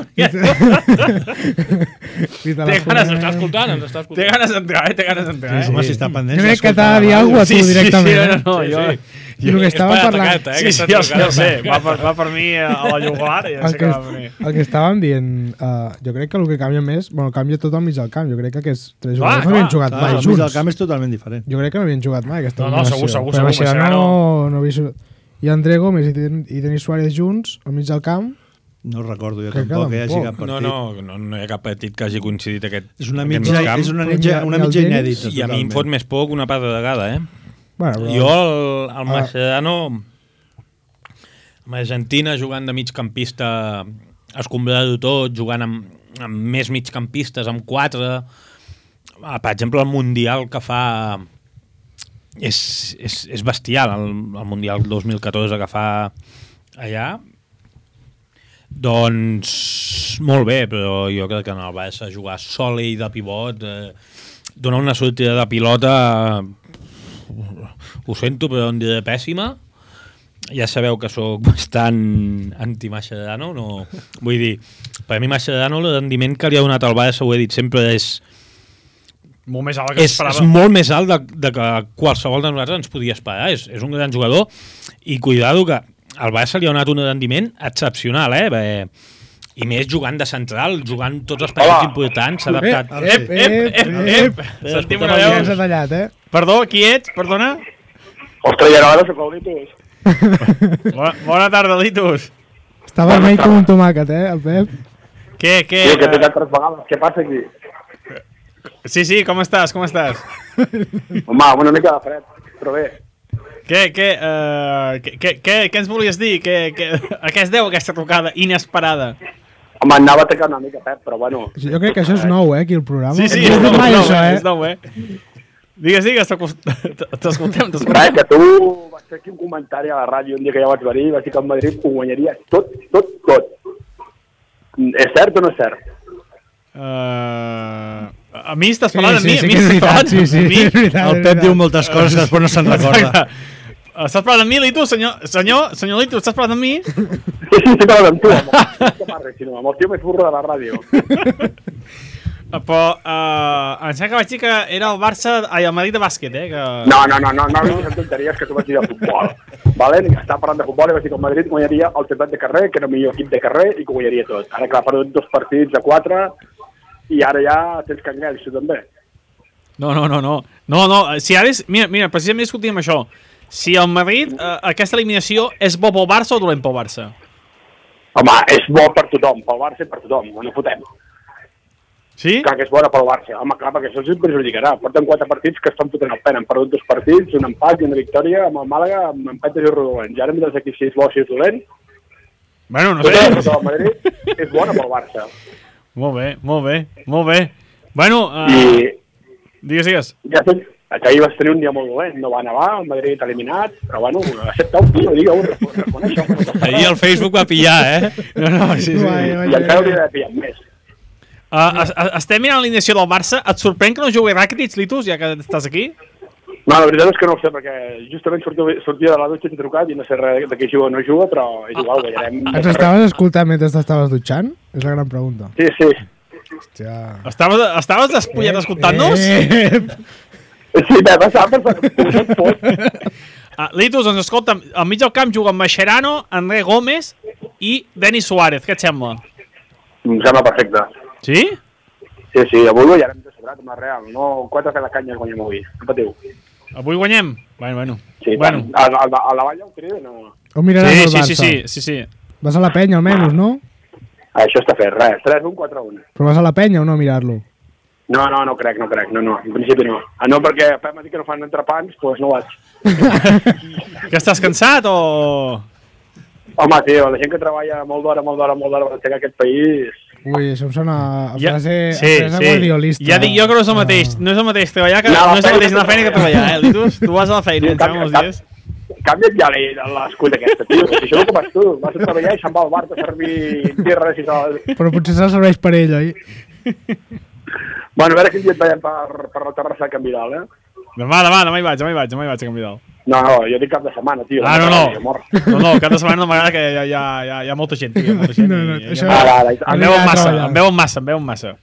Té ganes, està escoltant, ens està escoltant. Té ganes d'entrar, eh? Té ganes d'entrar, eh? Sí, home, si està pendent... Jo crec que t'ha de dir alguna cosa a tu directament. Sí, sí, no, no, jo... Sí, sí. I el que estàvem parlant... Eh, sí, sí, jo sé, jo sé. Va per, va per mi a la jugular i ja sé el que que, va per mi. el que estàvem dient, uh, jo crec que el que canvia més... Bueno, canvia tot al mig del camp. Jo crec que aquests tres Clar, jugadors no havien jugat Clar, mai el mig del junts. camp és totalment diferent. Jo crec que no havien jugat mai aquesta No, no, segur, segur, Però segur, Mascherano Mascherano- no havia... I André Gómez i, Den i Denis Suárez junts al mig del camp. No recordo jo Crec que tampoc que hi hagi tampoc. cap partit. No, no, no, no hi ha cap partit que hagi coincidit aquest, És una aquest mitja, migcamp. és una Però mitja, ni- una ni el mitja Denis- inèdita. I a mi em fot més poc una part de vegada, eh? Bueno, però... Jo, el, el Ah. Mascherano, amb Argentina, jugant de migcampista, escombrant-ho tot, jugant amb, amb més migcampistes, amb quatre... Ah, per exemple, el Mundial que fa... És, és, és bestial, el, el Mundial dos mil catorze que fa allà. Doncs molt bé, però jo crec que en el Barça jugar sol i de pivot, eh, donar una sortida de pilota, ho sento, però em diré pèssima. Ja sabeu que sóc bastant anti-Mascherano, no? Vull dir, per a mi Mascherano el rendiment que li ha donat al Barça, ho he dit sempre, és Molt més alt que és, és molt més alt de, de que qualsevol de nosaltres ens podia esperar. És, és un gran jugador i cuidado que al Barça li ha donat un rendiment excepcional, eh? Bé, i més jugant de central, jugant tots els partits importants, s'ha adaptat. Ep, ep, ep, ep, ep. Sentim Ja una ens ha veu. tallat, eh? Perdó, qui ets? Perdona? Ostres, ja no ara sóc el Litus. Bona, bona tarda, Litus. Està vermell com un tomàquet, eh, el Pep? Què, què? Sí, que he eh, tocat tres vegades. Què passa aquí? Sí, sí, com estàs, com estàs? Home, amb una mica de fred, però bé. Què, què, uh, què, què, què, què ens volies dir? Què, què, a què es deu aquesta trucada inesperada? Home, anava a atacar una mica, Pep, però bueno. Jo crec que això és nou, eh, aquí el programa. Sí, sí, No és he dit nou, mai és nou, això, eh? eh? És nou, eh? Digues, digues, t'escoltem, t'escoltem. Res, que tu vas fer aquí un comentari a la ràdio un dia que ja vaig venir i vaig dir que el Madrid ho guanyaria tot, tot, tot. És cert o no és cert? Uh, a mi estàs parlant Sí, amb sí, mi? sí a mi que és estàs veritat, parlant sí, sí, amb mi? és veritat, El és Pep veritat. diu moltes coses que després no se'n recorda. Estàs parlant amb mi, Litu? Senyor, senyor, senyor Litu, estàs parlant amb mi? Sí, sí, sí, parlant amb tu, amb el, que parles, sinó, amb el tio més burro de la ràdio. Uh, però uh, em sembla que vaig dir que era el Barça, ai, el Madrid de bàsquet, eh? Que... No, no, no, no, no vinguis amb tonteries que tu vaig dir de futbol. Vale? Estava parlant de futbol i vaig dir que el Madrid guanyaria el ciutat de carrer, que era el millor equip de carrer i que ho guanyaria tot. Ara, clar, ha perdut dos partits a quatre i ara ja tens canguells, tu també. No, no, no, no. No, no, si ara és... Mira, mira, precisament discutíem això. Si el Madrid, eh, aquesta eliminació, és bo pel Barça o dolent pel Barça? Home, és bo per tothom, pel Barça i per tothom, no fotem. Sí? Clar que és bona pel Barça. Home, clar, perquè això els perjudicarà. Porten quatre partits que estan fotent el pen. Han perdut dos partits, un empat i una victòria amb el Màlaga, amb empates i rodolents. I ara m'he de si és bo o si és dolent. Bueno, no Tota sé. la cosa del Madrid és bona pel Barça. Molt bé, molt bé, molt bé. Bueno, uh, I digues, digues. ja sé, que ahir vas tenir un dia molt dolent, no va nevar, el Madrid eliminat, però bueno, accepta un tio, digue-ho, reconeix-ho. Ahir el Facebook va pillar, eh? No, no, sí, sí. Vai, vai, I encara hauria d'haver pillat més. Uh, es- es- estem mirant l'alineació del Barça. Et sorprèn que no jugui Rakitic, Litus, ja que estàs aquí? No, la veritat és que no ho sé, perquè justament sortia, sortia de la dutxa i t'he trucat i no sé res de què juga o no juga, però és igual, guanyarem. Ens estaves escoltant mentre t'estaves dutxant? És la gran pregunta. Sí, sí. Hòstia. Estaves, estaves despullat escoltant-nos? Eh, Sí, bé, va saber, però tot. Uh, Litus, doncs escolta, al mig del camp juguen Mascherano, André Gómez i Denis Suárez. Què et sembla? Em sembla perfecte. Sí? Sí, sí, avui guanyarem de sobrat amb la Real. No, quatre per la canya guanyem avui. No patiu. Avui guanyem? Bueno, bueno. Sí, bueno. a, a, a, a la Valla ho criden o no? On miraràs Sí, el sí, Barça? sí, sí, sí, sí. Vas a la penya, almenys, no? Ah, això està fet, res. tres un, quatre un. Però vas a la penya o no a mirar-lo? No, no, no crec, no crec. No, no, en principi no. Ah, no, perquè Pep m'ha dit que no fan entrepans, doncs no vaig. Que estàs cansat o...? Home, tio, la gent que treballa molt d'hora, molt d'hora, molt d'hora per aixecar aquest país... Ui, això em sona a Ja- frase, sí, a frase sí. guardiolista. Ja dic jo que no és el mateix. No és el mateix treballar que... No, No, és el feina mateix anar a la feina que que treballar, eh, Litus? Tu vas a la feina, ens Canvia- uns dies. Canvia't ja la- l'escut aquesta, tio. Si això no ho fas tu. Vas a treballar i se'n va al bar a servir birres i tal. Però potser se'l serveix per ell, oi? Bueno, a veure quin dia et veiem per, per la terrassa de Can Vidal, eh? Demà, demà, demà hi vaig, demà hi vaig, demà hi vaig a Can Vidal. No, no, jo dic cap de setmana, tio. Ah, no, no. Amor. No, no, cap de setmana no m'agrada que hi ha, hi ha, hi ha, hi ha molta gent. Hi ha molta gent No, no, i, això- i, Ara, ara, em ara. veuen massa, em veuen massa, em veuen massa.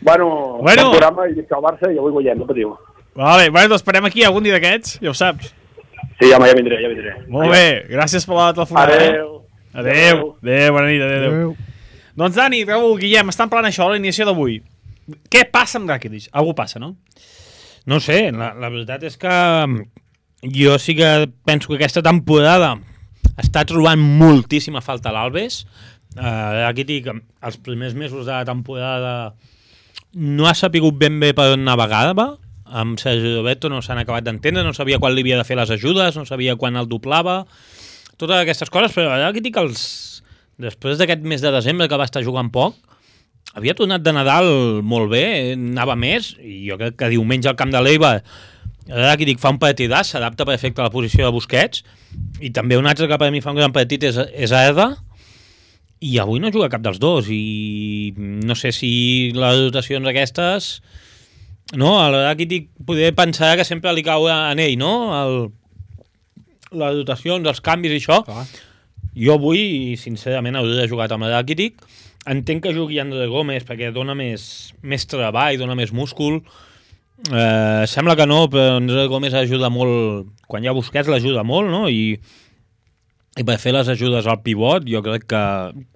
Bueno, Bueno. bon programa i visca el Barça i avui guanyem, no patiu. Vale, bueno, t'esperem aquí algun dia d'aquests, ja ho saps. Sí, home, ja vindré, ja vindré. Molt bé, gràcies per la telefonada. Adéu. Adéu. Adéu, bona nit, adéu. adéu. Adéu. Doncs Dani, Raül, Guillem, estan parlant això a l'inici d'avui. Què passa amb Rakitic? Algú passa, no? No sé, la, la veritat és que jo sí que penso que aquesta temporada està trobant moltíssima falta a l'Albes. Uh, aquí dic, els primers mesos de la temporada no ha sapigut ben bé per on navegava. Amb Sergi Roberto no s'han acabat d'entendre, no sabia quan li havia de fer les ajudes, no sabia quan el doblava, totes aquestes coses, però aquí dic els... després d'aquest mes de desembre que va estar jugant poc, havia tornat de Nadal molt bé, anava més, i jo crec que diumenge al camp de l'Eibar, ara aquí dic, fa un partidàs, s'adapta perfecte a la posició de Busquets, i també un altre que per mi fa un gran partit és, és Arda, i avui no juga cap dels dos, i no sé si les dotacions aquestes... No, a l'hora que dic, poder pensar que sempre li cau en ell, no? El, les dotacions, els canvis i això. Clar. Jo avui, sincerament, hauria de jugar amb el Rakitic. Entenc que jugui André Gómez perquè dona més, més treball, dona més múscul. Eh, sembla que no, però André Gómez ajuda molt... Quan hi ha Busquets l'ajuda molt, no? I, i per fer les ajudes al pivot jo crec que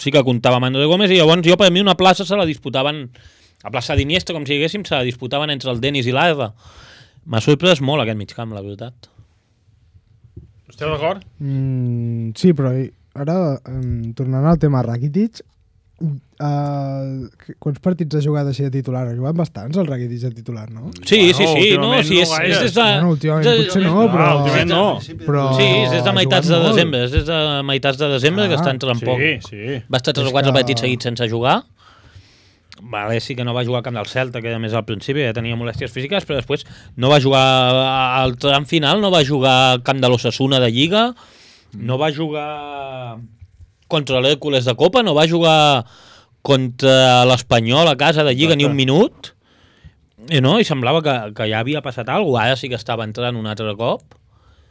sí que comptava amb André Gómez i llavors jo per mi una plaça se la disputaven a plaça d'Iniesta, com si diguéssim, se la disputaven entre el Denis i l'Arda. M'ha sorprès molt aquest migcamp, la veritat. Esteu d'acord? Mm, sí, però ara, um, tornant al tema Rakitic, uh, quants partits ha jugat així de titular? Ha jugat bastants el Rakitic de titular, no? Sí, Bueno, sí, sí, no, últimament sí, és, no és des de... Bueno, últimament és de- potser no, però... Ah, últimament no. Però Sí, és des de ha meitats de jugat molt. desembre, és des de meitats de desembre Ah, que està entrant poc. Sí, sí. Va estar tres És o quatre que- partits seguits sense jugar. Vale, sí que no va jugar al camp del Celta, que a més al principi ja tenia molèsties físiques, però després no va jugar al tram final, no va jugar al camp de l'Osasuna de Lliga, no va jugar contra l'Hèrcules de Copa, no va jugar contra l'Espanyol a casa de Lliga ni un minut, i, no? I semblava que, que ja havia passat alguna cosa, ara sí que estava entrant un altre cop.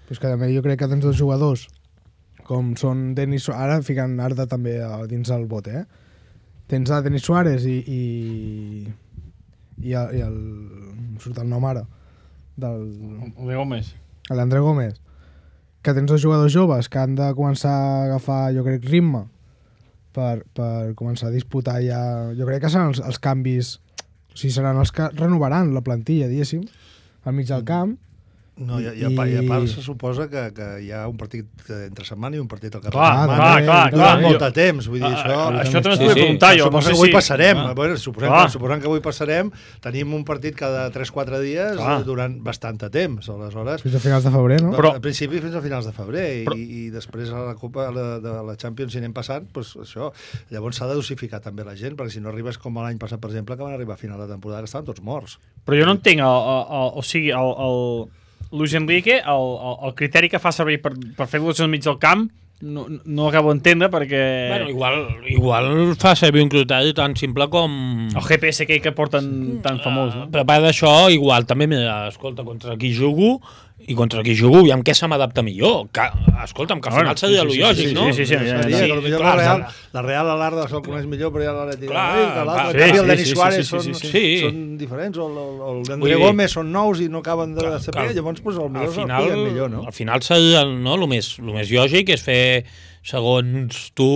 Però és que també jo crec que tens dos jugadors com són Denis Suárez, ara ficant Arda també a- dins el bot, eh? Tens a Denis Suárez i i, i, el, i el em surt el nom ara del El de Gómez. l'André Gómez, que tens dos jugadors joves que han de començar a agafar, jo crec, ritme per, per començar a disputar ja... Jo crec que seran els, els canvis, o sigui, seran els que renovaran la plantilla, diguéssim, al mig del camp. No, i, i, a, pa- i a part se suposa que, que hi ha un partit entre setmana i un partit al cap Clar, de setmana. clar, clar, Durant clar. molt de temps, vull dir, Ah, això... ah, això també Sí, t'ho vull sí. preguntar jo. Suposo no sé que avui si- passarem. Ah. Bueno, suposem, Clar. que, suposem que avui passarem. Tenim un partit cada tres o quatre dies Clar. eh, durant bastant de temps. Aleshores, Fins a finals de febrer, no? Però- al principi fins a finals de febrer i, Però- i després a la Copa la, de la Champions si anem passant, doncs això. Llavors s'ha de dosificar també la gent, perquè si no arribes com l'any passat, per exemple, que van arribar a final de temporada que estaven tots morts. Però jo no entenc, el, el, el, o sigui, el, el Luis Enrique, el, el, el criteri que fa servir per, per fer-los al mig del camp, no, no acabo d'entendre perquè... Bueno, igual, igual fa servir un criteri tan simple com... El G P S aquell que porten tan famós, no? Però a part d'això, igual també, mira, escolta, contra qui jugo i contra qui jugo, i amb què se m'adapta millor. Que, escolta'm, que al Bueno, final seria sí, sí, lo sí, lògic, sí, no? sí, sí, sí, ja, ja, Seria ja. que potser clar, la Real, clar. la Real a l'Arda se'l coneix millor, però ja l'Atlètic Clar, de Madrid, que l'altre, clar. en canvi, Sí, el Denis sí, sí, Suárez sí, sí, són, sí, sí. són diferents, o el, el, el Vull d'André dir- Gómez són nous i no acaben de Clar, saber, clar. llavors pues, Al potser final, el cuiden millor, no? al final seria el, no, el, més, el més lògic és fer, segons tu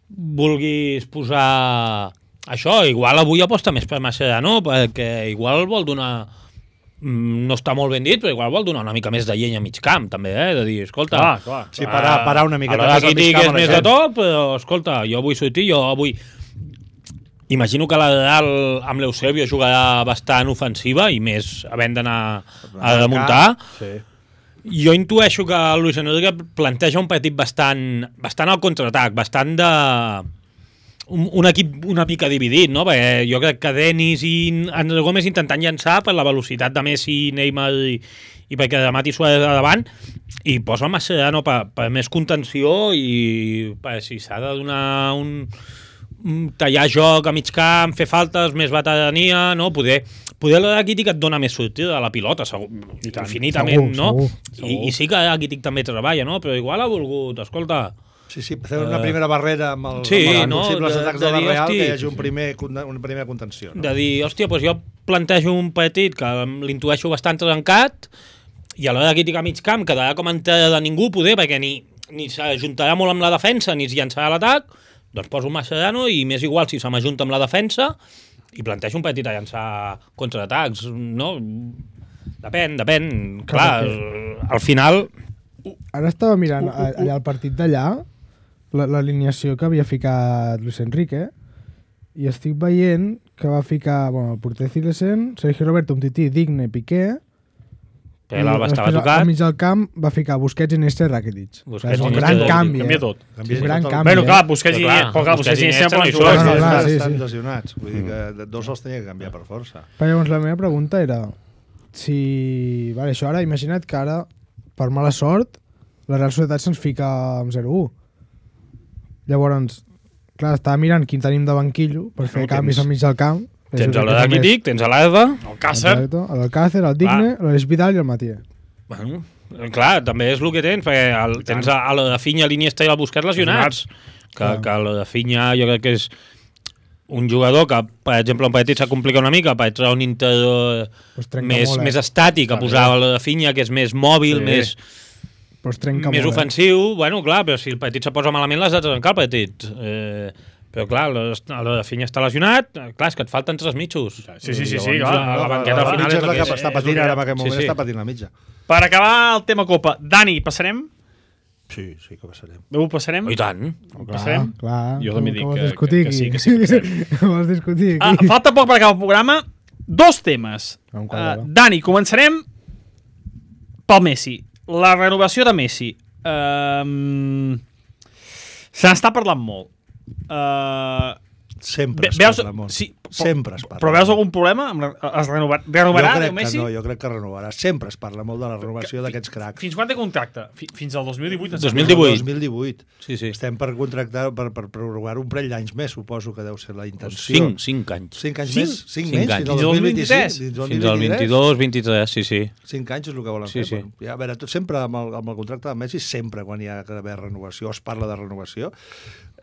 vulguis posar això, igual avui aposta més per Mascherano, perquè igual vol donar, no està molt ben dit, però igual vol donar una mica més de llenya a mig camp, també, eh? De dir, escolta... Clar, clar. Sí, parar- parar una miqueta a més al aquí mig camp digues a la més de gent. tot, però escolta, jo vull sortir, jo vull... Imagino que la Real amb l'Eusebio jugarà bastant ofensiva i més havent d'anar a remuntar. Sí. Jo intueixo que el Luis Enrique planteja un partit bastant, bastant al contraatac, bastant de... Un, un equip una mica dividit, no? Perquè jo crec que Denis i André Gómez intentant llançar per la velocitat de Messi, Neymar i, i perquè remati Suárez a davant, i posa Mascherano per, per més contenció i per si s'ha de donar un, tallar joc a mig camp, fer faltes, més veterania, no? Poder, poder la Rakitic et dona més sortida de la pilota, segur, infinitament, segur, no? segur, I, I sí que Rakitic també treballa, no? Però igual ha volgut, escolta... Sí, sí, fer una primera barrera amb, el, sí, amb els no? possibles de, atacs de de la dir, Real, hosti, que hi hagi un primer, una primera contenció. No? De dir, hòstia, doncs jo plantejo un partit que l'intueixo bastant trencat i a l'hora de crítica a mig camp quedarà com entrada de ningú, poder, perquè ni, ni s'ajuntarà molt amb la defensa ni es llançarà l'atac, doncs poso un Mascherano i m'és igual si se m'ajunta amb la defensa i plantejo un partit a llançar contraatacs, no? Depèn, depèn. Clar, Clar al final... Ara estava mirant allà el partit d'allà, l'alineació que havia ficat Luis Enrique, i estic veient que va ficar, bueno, el porter Cilesen, Sergio Roberto, Umtiti, Digne, Piqué, que l'Alba estava tocat. Al mig del camp va ficar Busquets, Iniesta i Rakitic. Busquets, és un gran canvi, Canvia eh? tot. És un gran canvi, Bueno, clar, eh? Busquets i Clar, Iniesta, Busquets i Iniesta poden no hi jugar. són. No, no, clar, sí, Estan sí. lesionats, vull dir que dos els tenia que canviar per força. Però llavors la meva pregunta era si... Vale, això ara, imagina't que ara, per mala sort, la Real Societat se'ns fica amb zero u. Llavors, clar, estava mirant quin tenim de banquillo per fer No, canvis tens- al mig del camp. Tens el Rakitic, tens l'Alba... El Càcer. L'Alcácer, el Digne, l'Aleix Vidal i el Matías. Bueno, clar, també és el que tens, perquè el, tens a, a la de Finya, l'Iniesta i el Busquets lesionats. Que, Clar. que la de Finya jo crec que és un jugador que, per exemple, un partit s'ha complicat una mica per entrar un interior Pues trenca més, molt, eh? més estàtic, a posar la de Finya, que és més mòbil, Sí. més, Però es trenca més molt, ofensiu. Bueno, clar, però si el partit se posa malament l'has de trencar el partit. Eh, però clar, la, la de Finya està lesionat, clar, és que et falten tres mitjos. Sí, sí, sí, Llavors, sí, clar. la, la banqueta al la final mitja és és la que és- està és patint el que- ara en aquest moment, sí, sí. està patint la mitja. Per acabar el tema Copa, Dani, passarem? Sí, sí que passarem. Ho passarem? Oh, I tant. Ho Clar, passarem? clar. Jo també Com- dic com vols que- discutir que- que sí, aquí? que sí, que passarem. Com vols discutir Ah, aquí? falta poc per acabar el programa. Dos temes. Un Uh, quadre. Dani, començarem pel Messi. La renovació de Messi. Um, se n'està parlant molt. Uh, Sempre Ve- es veus- parla molt. sí, però- Sempre es parla. però veus molt. algun problema? Amb la- Es renovar, renovarà, jo diu crec Messi? que no, jo crec que renovarà. Sempre es parla molt de la renovació d'aquests cracs. Fins quan té contracte? Fi- Fins al dos mil divuit? em dos mil sembla. divuit. dos mil divuit. Sí, sí. Estem per contractar, per, per prorrogar un parell d'anys més, suposo que deu ser la intenció. Cinc, cinc anys. Cinc anys Cinc? més? Cinc, Cinc menys? anys. Fins al Fins al dos mil vint-i-sis? vint-i-tres? al Fins al vint-i-tres? vint-i-dos, vint-i-tres, sí, sí. Cinc anys és el que volen Sí, fer. sí. Bueno, ja, a veure, tot sempre amb el, amb el contracte de Messi, sempre quan hi ha d'haver renovació, es parla de renovació,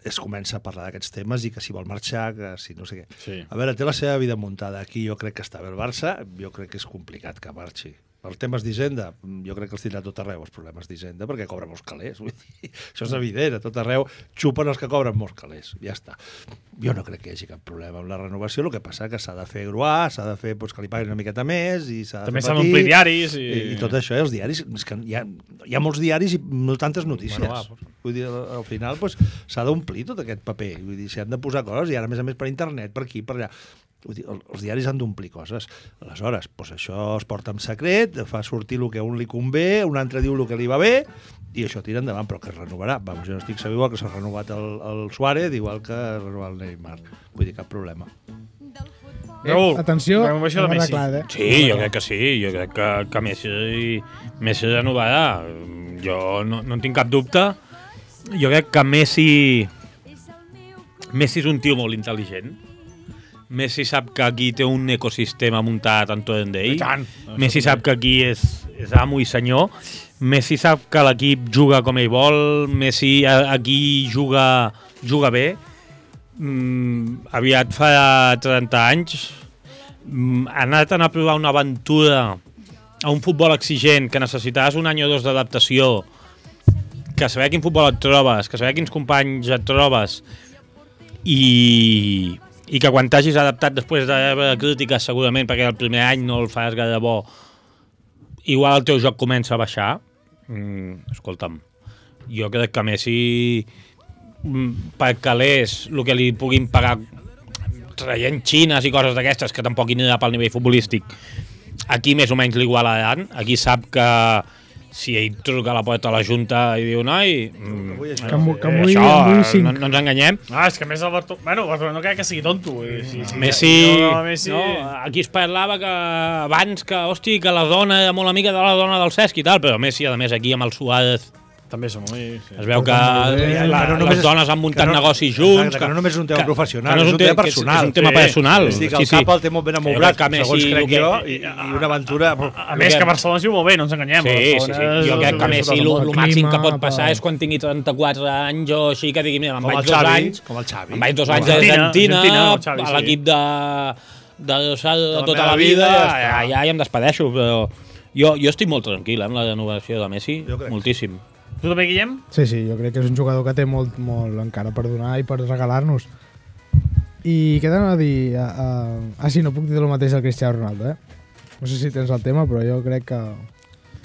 es comença a parlar d'aquests temes i que si vol marxar, que si no sé què. Sí. A veure, té la seva vida muntada. Aquí jo crec que està bé el Barça, jo crec que és complicat que marxi. Per temes d'Hisenda, jo crec que els tindrà a tot arreu els problemes d'Hisenda, perquè cobra molts calés. Vull dir, això és evident, a tot arreu xupen els que cobren molts calés. Ja està. Jo no crec que hi hagi cap problema amb la renovació, el que passa que s'ha de fer gruar, s'ha de fer doncs, que li paguin una miqueta més i s'ha de També fer s'han patir, d'omplir diaris i... i, i tot això, eh? Els diaris, és que hi ha, hi ha molts diaris i no tantes notícies. Bueno, va, Vull dir, al, al final doncs, s'ha d'omplir tot aquest paper. Vull dir, s'hi han de posar coses i ara, a més a més, per internet, per aquí, per allà. Vull dir, el- els diaris han d'omplir coses. Aleshores, doncs això es porta en secret, fa sortir el que a un li convé, un altre diu el que li va bé, i això tira endavant, però que es renovarà. Vamos, jo no estic segur igual que s'ha renovat el, el Suárez, igual que ha renovat el Neymar. Vull dir, cap problema. Raül, Atenció, renovació de hem Messi. arreglat, eh? Sí, jo crec que sí, jo crec que, que Messi, Messi renovarà. Jo no, no en tinc cap dubte. Jo crec que Messi... Messi és un tio molt intel·ligent. Messi sap que aquí té un ecosistema muntat entorn d'ell. I tant. Messi sap que aquí és, és amo i senyor. Messi sap que l'equip juga com ell vol. Messi a- aquí juga, juga bé. Mm, aviat fa trenta anys mm, ha anat a provar una aventura a un futbol exigent que necessitaves un any o dos d'adaptació, que saber quin futbol et trobes, que saber quins companys et trobes i, i que quan t'hagis adaptat després de rebre crítiques segurament perquè el primer any no el fas gaire bo, igual el teu joc comença a baixar. Mm, escolta'm, jo crec que Messi mm, per calés el que li puguin pagar traient xines i coses d'aquestes que tampoc hi anirà pel nivell futbolístic, aquí més o menys l'igualaran. Aquí sap que si ell truca a la porta a la Junta i diu noi, mm, Que m'ho- que eh, m'ho això, digui, m'ho digui cinc. no, no ens enganyem. Ah, és que a més el Bartolomé... Bueno, el Bartolomé no crec que sigui tonto. vull dir, sí, sí, Messi, no, Messi... no, aquí es parlava que abans que, hosti, que la dona era molt amiga de la dona del Cesc i tal, però Messi, a més, aquí amb el Suárez També som muy... Sí. Es veu que bé, la, que no les només- dones han muntat que no- negocis junts. exacte, que no només és un tema professional, que no és un tema que és- personal. És un tema Sí. personal. És a dir, que el sí, cap sí. el té molt ben Que jo amoblat, crec que segons Messi, crec el que- jo, i, i una aventura... A més, que Barcelona es viu molt bé, no ens enganyem. Sí, sí, sí. Barcelona Jo és- crec que és Messi tot el el món. màxim que clima, pot passar pa- és quan tingui trenta-quatre anys o així, que digui, mira, me'n Com vaig el dos Xavi, anys, com el Xavi. me'n vaig dos Com anys el a Argentina, Argentina, Argentina, el Xavi, a sí. l'equip de, de, de, de tota meva la vida, vida, ja ja, està. ja, ja em despedeixo, però jo, jo estic molt tranquil eh, amb la renovació de Messi, Jo crec que moltíssim. Tu també, Guillem? Sí, sí, jo crec que és un jugador que té molt, molt encara per donar i per regalar-nos. I què t'anava a dir? Uh, uh, ah, sí, no puc dir el mateix al Cristiano Ronaldo, eh? No sé si tens el tema, però jo crec que...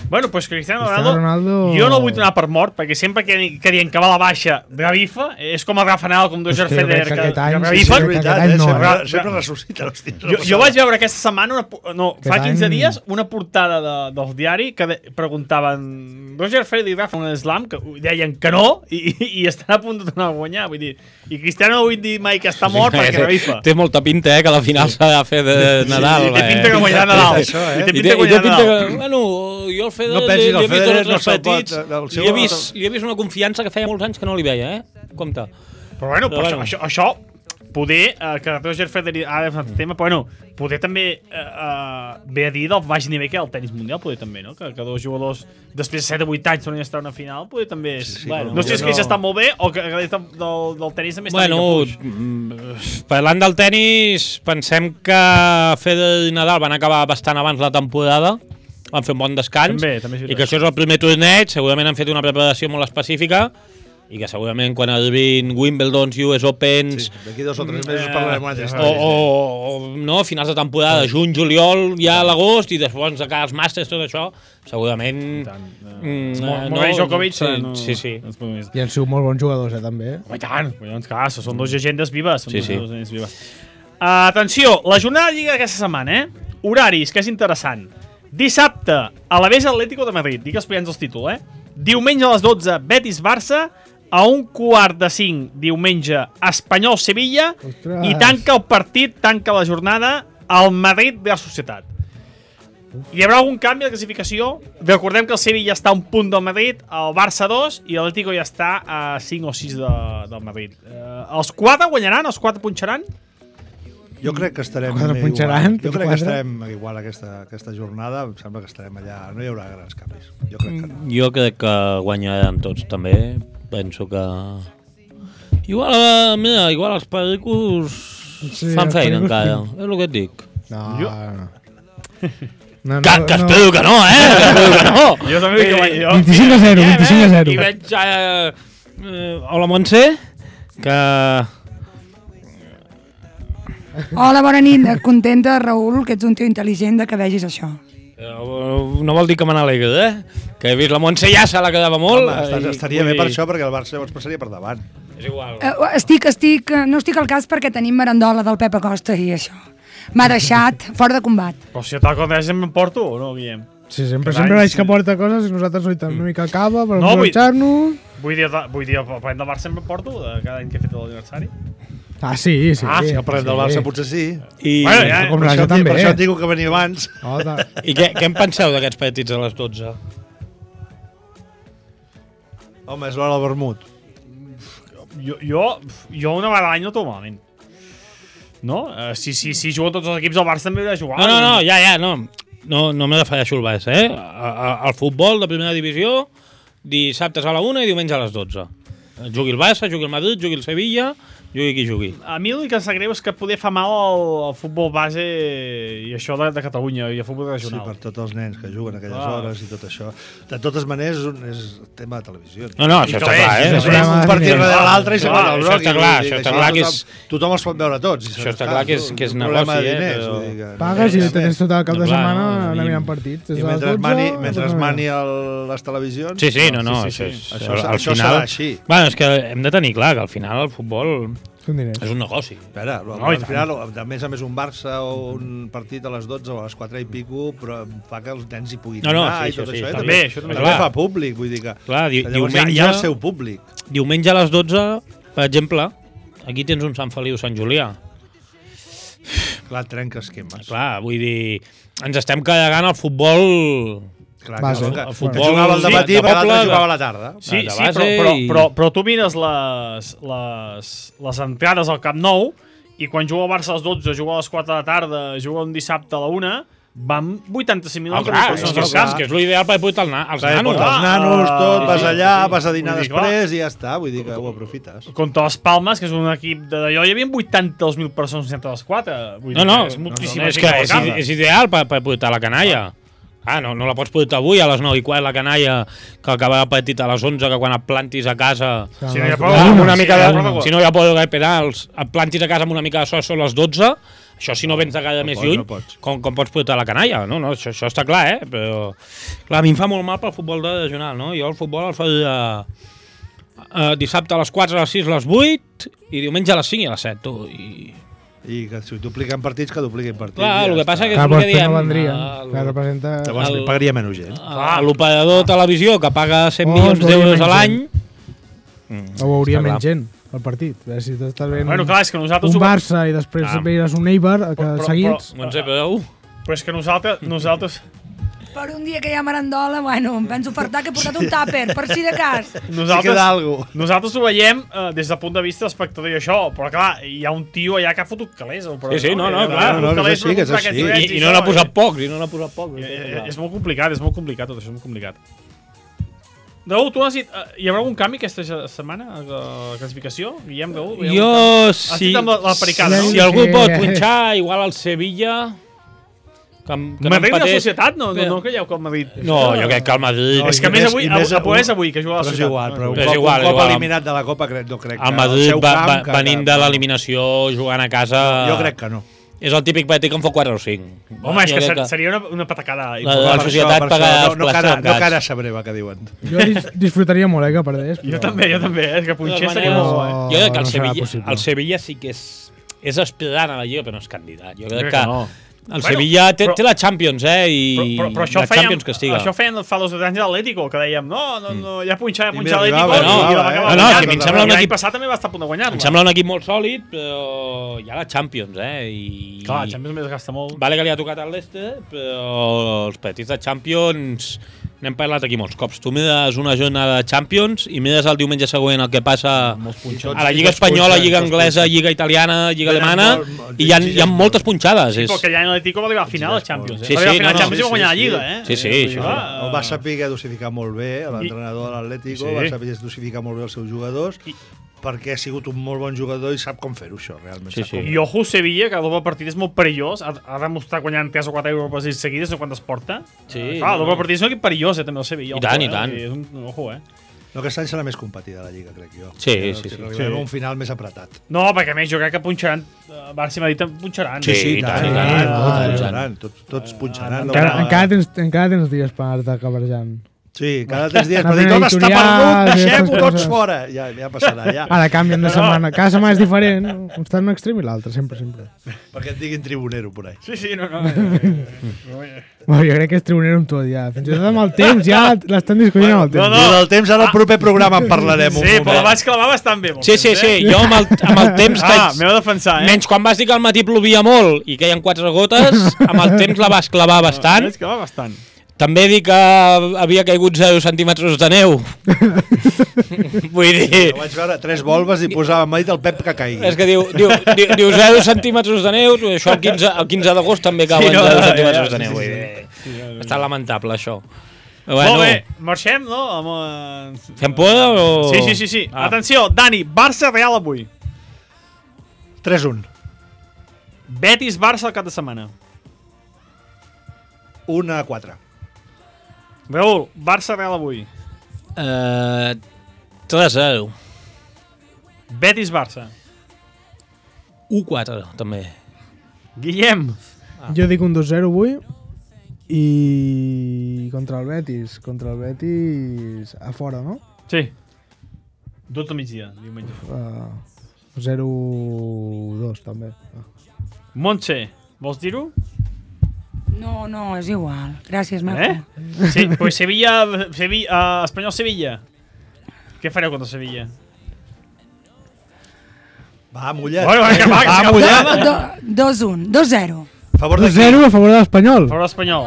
Bueno, pues Cristiano Cristiano Ronaldo, Ronaldo- jo no el vull donar per mort, perquè sempre que, que dient que va a la baixa revifa, és com el Rafa Nadal, com Roger És que jo Federer, crec que que, aquest any que sí, És revifen. sí, veritat, aquest any eh? no, Sempre, eh? sempre ressuscita, hòstia. Jo, jo vaig veure aquesta setmana, una, pu- no, fa Aquest quinze any- dies, una portada de, del diari que de, preguntaven Roger Federer i Rafa un slam, que deien que no, i, i estan a punt de tornar a guanyar. Vull dir, i Cristiano no vull dir mai que està mort perquè revifa. Té molta pinta, eh, que a la final s'ha de fer de Nadal. I té pinta eh? que guanyarà Nadal. Això, eh? I té I pinta té, que i té guanyarà pinta Nadal. que, bueno, jo el Federer No pensis, li, el li he vist Federer tots no els se'l pot- partits, el seu- li, he vist, li he vist una confiança que feia molts anys que no li veia, eh? Compte. Però bueno, però Però això, bueno. això, això poder, eh, que Roger Federer ha de fer un tema, però bueno, poder també eh, eh, ve a dir del baix nivell que hi ha el tenis mundial, poder també, no? Que, que dos jugadors després de set o vuit anys tornin a estar a una final, poder també és... Sí, sí, bueno, però no sé si és jo que no- ja està molt bé o que, que del, del, del tenis també està Bueno, mica fluix. mm, parlant del tenis, pensem que Federer i Nadal van acabar bastant abans la temporada, van fer un bon descans, També, també és i veritat. que això és el primer torneig, segurament han fet una preparació molt específica, i que segurament quan arribin Wimbledons, U S Opens, Sí, d'aquí dos o tres mesos Eh, parlarem una altra o, història. o, o no, finals de temporada, juny, juliol, ja a l'agost, i després de cara als màsters, tot això, segurament... Mm, Mo- eh, Murray Djokovic, sí, eh, no, sí, sí. no es pot més. I han sigut molt bons jugadors, eh, també. Home, i tant, doncs clar, són dos llegendes vives. Són Sí, dos sí. llegendes vives. Uh, atenció, la jornada de Lliga d'aquesta setmana, eh? Horaris, que és interessant. Dissabte, a la Vesa Atlético de Madrid, dic explicant el títol, eh? Diumenge a les dotze, Betis-Barça, a un quart de cinc, diumenge, Espanyol-Sevilla, Ostres. i tanca el partit, tanca la jornada, al Madrid de la Societat. Hi haurà algun canvi de classificació? Recordem que el Sevilla està a un punt del Madrid, el Barça a dos i l'Atlético ja està a cinc o sis de, del Madrid. Eh, els quatre guanyaran? Els quatre punxaran? Jo crec que estarem Quatre igual. punxaran, Jo tots crec que quatre. estarem igual aquesta, aquesta jornada. Em sembla que estarem allà. No hi haurà grans canvis. Jo crec que no. Jo crec que guanyaran tots també. Penso que... Igual, eh, mira, igual els pericos Sí, fan els feina pericos encara. tinc. És el que et dic. No, Jo- no. No, Que, que espero que no, eh? Que espero que no. Jo també dic que guanya- jo- vint-i-cinc a zero, vint-i-cinc a zero. I veig... Eh, eh, hola, Montse, que... Hola, bona nit. Contenta, Raül, que ets un tio intel·ligent de que vegis això. eh, No vol dir que me n'alegro, eh? Que he vist la Montse ja se la quedava molt. Home, estàs, i estaria vull bé per dir- això, perquè el Barça llavors passaria per davant. És igual. Eh, estic, estic, eh, no estic al cas perquè tenim merendola del Pep Acosta i això. M'ha deixat fora de combat. Però si tal com sempre em porto o no, Guillem? Sí, sempre, Carai, sempre veig sí. que porta coses i nosaltres ho una mica cava per No, vull- aprovechar-nos. Vull dir, vull dir, el parlem del Barça sempre em porto, de cada any que he fet l'aniversari. Ah, sí, sí. Ah, si no parlem del Barça potser sí. I, Bueno, ja, com Per la això, jo també. per això et dic que venia abans. Oh, ta- I què, què en penseu d'aquests partits a les dotze? Home, és l'hora del vermut. Jo, jo, jo una vegada a l'any no trobo malament. No? Uh, si, si, si juguen tots els equips, el Barça també hauria de jugar. No, no, no, ja, ja, no. No, no me refereixo al Barça, eh? A- a- Al futbol de primera divisió, dissabtes a la una i diumenge a les dotze. Jugui el Barça, jugui el Madrid, jugui el Sevilla, jugui qui jugui. A mi l'únic que em sap greu és que poder fa mal al, al futbol base i això de, de Catalunya i el futbol Sí, regional. per tots els nens que juguen aquelles Ah. hores i tot això. De totes maneres, és, un, és tema de televisió. No, no, I això que està bé, clar, sí, eh? sí, És sí. un partit Clar, darrere l'altre i se clar, va al això broc. està clar, això està clar que és- Tothom els pot veure tots. i Això està saps, clar que és- que és un problema negoci, de eh, diners, però- vull dir que- Pagues i tens tot el cap de Clar, setmana no, anar i- mirant partits. Des I de les mentre dotze mani, a mentre les nou. mani el, les televisions... Sí, sí, no, no, sí, això, sí, és, Això, al això final... serà així. Bueno, és que hem de tenir clar que al final el futbol Són diners. és un negoci. Espera, No, no, i al tant. final, a més a més, un Barça o un partit a les dotze o a les quatre i pico, però fa que els nens hi puguin No, no, anar sí, i tot això sí, això. i està també, bé, això també això està també clar. fa públic, vull dir que... Clar, di que llavors hi ha- diumenge, hi ha el seu públic. diumenge a les dotze, per exemple, aquí tens un Sant Feliu Sant Julià. Clar, trenca esquemes. Clar, vull dir, ens estem carregant el futbol Clar, Base. que, que, El que futbol, jugava al sí, dematí, de però l'altre poble, jugava a la tarda. Sí, de sí, base però, però, i- però, però tu mires les, les, les entrades al Camp Nou i quan juga el Barça a les dotze, juga a les quatre de la tarda, juga un dissabte a la una, van vuitanta-cinc Ah, minuts. clar, de és, persones que, al és, camp. que és l'ideal per portar el na, els Clar, nanos. portar els Ah, nanos, tot, sí, vas sí, allà, sí. vas a dinar Vull dir, clar. després i ja està. Vull dir que ho aprofites. Contra les Palmes, que és un equip de d'allò, hi havia vuitanta-dos mil persones entre les quatre. Vull dir No, no, que és no, moltíssima no, és gent que a la és, casa. és ideal per, per portar la canalla. Ah, no, no la pots portar avui a les nou i quart la canalla, que acaba el partit a les onze, que quan et plantis a casa... Si no hi ha les prou, Ah, amb una sí, mica hi ha de, prou. si no hi ha por de pedals, et plantis a casa amb una mica de so, són les dotze, això si no vens de cada No més pots, lluny, no pots. com, com pots portar la canalla? No, no, això, això està clar, eh? Però, clar, a mi em fa molt mal pel futbol de regional, no? Jo el futbol el faria uh, dissabte a les quatre, a les sis, a les vuit, i diumenge a les cinc i a les set, tu. I... I que si dupliquen partits, que dupliquin partits. Clar, i ja el que està. passa que és Clar, el però que després diem. no vendrien, el- que representa... Llavors el- pagaria menys gent. a l'operador de televisió que paga cent Oh, milions es veuria d'euros menys a l'any... O veuria Està menys clar. gent, el partit. A veure si t'estàs veient Bueno, clar, és que nosaltres... un ho- Barça i després Ah. veuràs un Eibar, que Però- però- seguits... No en sé, però... Però és que nosaltres... nosaltres Per un dia que hi ha merendola, bueno, em penso fartar que he portat un tàper, per si de cas. Si Nosaltres, queda algo. nosaltres ho veiem uh, des del punt de vista d'espectador i això, però clar, hi ha un tio allà que ha fotut calés. Però, Sí, sí, no, no, Eh, clar, ha no, fotut no, és calés així, per que és comprar així. aquests drets I, i no això, n'ha posat i- pocs, i no n'ha posat pocs. Eh, eh, És molt complicat, és molt complicat, tot això és molt complicat. Raül, tu has dit, uh, hi haurà algun canvi aquesta setmana a la classificació? Guillem, Raül? Hi ha algun Jo, canvi? Has si, dit amb la, la pericada, no? si algú pot punxar, igual al Sevilla... Que, em- que no Madrid i la empatés. societat? No, no, no creieu que el Madrid... No, jo crec que el Madrid... No, És que a i més més- avui, i més a, a avui- és avui, que juga a la Però és societat. igual, però un És cop, igual, un cop igual. eliminat de la Copa crec, no crec que... El Madrid seu va, camp, va, que- venint de l'eliminació, jugant a casa... Jo crec que no. És el típic partit que en fa quatre o cinc. Home, és Jo que crec ser, seria una, una patacada. La- important. la Per societat això, per paga això, els no, no, plats cara, tancats. no cara sabreva, que diuen. Jo dis disfrutaria molt, eh, que perdés. Jo també, jo també, eh? És que punxer De seria totes molt maneres- bo, eh? Jo crec que el, no serà Sevilla, possible. el Sevilla sí que és, és aspirant a la Lliga, però no és candidat. Jo crec crec que que no. el Bueno, Sevilla té, però- té la Champions, eh? I Però, però, però això, la fèiem, Champions que estiga. això feien fa dos anys de l'Atlético, que dèiem, no, no, no, ja punxar, ja I punxar m'hi l'Atlético. arribava, no, i la va eh? acabar No, no, guanyant. si a mi em sembla un L'any equip- passat també va estar a punt de guanyar-la. Em sembla un equip molt sòlid, però hi ha la Champions, eh? I... Clar, la Champions més gasta molt. Vale que li ha tocat al Leicester, però els partits de Champions n'hem parlat aquí molts cops. Tu mires una jornada de Champions i mires el diumenge següent el que passa a la Lliga Espanyola, Lliga Anglesa, Lliga Italiana, Lliga Venen Alemana, molt- molt- i hi ha, hi ha moltes punxades. Sí, És... però que ja l'Atlético va arribar a final de Champions. Eh? Sí, va arribar sí, a final no, de Champions no, i va guanyar sí, la Lliga, sí. eh? Sí, sí, Vull dir, això. clar, El va saber dosificar molt bé, l'entrenador de l'Atlético, Sí. va saber dosificar molt bé els seus jugadors, perquè ha sigut un molt bon jugador i sap com fer-ho, això, realment. Sí, sap sí. com- I ojo, Sevilla, que el doble partit és molt perillós. Ha, ha demostrat guanyant tres o quatre Europes seguides, no quantes porta. Sí, Clar, el no, doble no. partit és un equip perillós, eh, també, el Sevilla. I ojo, tant, i eh? tant. És un, ojo, eh? No, aquest any serà més competida la Lliga, crec jo. Sí, Que- sí, que sí. arribarem Sí. a un final més apretat. No, perquè a més jo crec que punxaran, eh, Barça i Madrid punxaran. Sí, sí, i tant, i tant, Ah, i tant. punxaran, tots, tots punxaran. Encara, no, encara, tens, encara tens dies per anar-te cabarejant. Sí, cada tres dies Una per dir tot està editorial, perdut, i deixem-ho aquestes tots coses. fora. Ja, ja passarà, ja. Ara canvien de setmana. Cada setmana és diferent. Està en un extrem i l'altre, sempre, sempre. Perquè et diguin tribunero, por ahí. Sí, sí, no, no. eh, Bueno, jo crec que és tribunero amb tot, ja. Fins i tot amb el temps, ja l'estan discutint amb el temps. No, no, del temps ara al proper programa en parlarem. un Sí, però la moment. vaig clavar bastant bé. molt Sí, sí, temps, sí. eh? Jo amb el, amb el temps... Ah, que- m'heu de defensar, eh? Menys quan vas dir que al matí plovia molt i queien quatre gotes, amb el temps la vas clavar bastant. Vaig clavar bastant. També dic que havia caigut zero centímetres de neu. Vull dir... Jo vaig veure tres volves i posava m'ha dit el Pep que caigui. És que diu, diu, diu, diu zero centímetres de neu, això el quinze, el quinze d'agost també cauen Sí, no, zero ja, centímetres ja, de neu. sí, Vull sí, dir, està lamentable, això. Bueno. Molt Bueno, bé, marxem, no? Amb, eh, fem por o...? Sí, sí, sí. sí. Ah. Atenció, Dani, Barça-Real avui. tres un. Betis-Barça el cap de setmana. un a quatre. Raül, Barça-Real avui. Uh, tres a zero. Betis-Barça. u quatre, també. Guillem. Jo dic un dos zero avui i contra el Betis. Contra el Betis a fora, no? Sí. dotze del migdia, diumenge. Uh, zero dos també. Ah. Montse, vols dir-ho? No, no, és igual. Gràcies, Marco. Eh? Sí, pues Sevilla, Sevilla uh, Espanyol-Sevilla. Què fareu contra Sevilla? Va, mullat. Bueno, vinga, va, que va, s'acaba. mullat. Do, dos un, dos zero. A favor de dos zero a favor de l'Espanyol. A favor de l'Espanyol.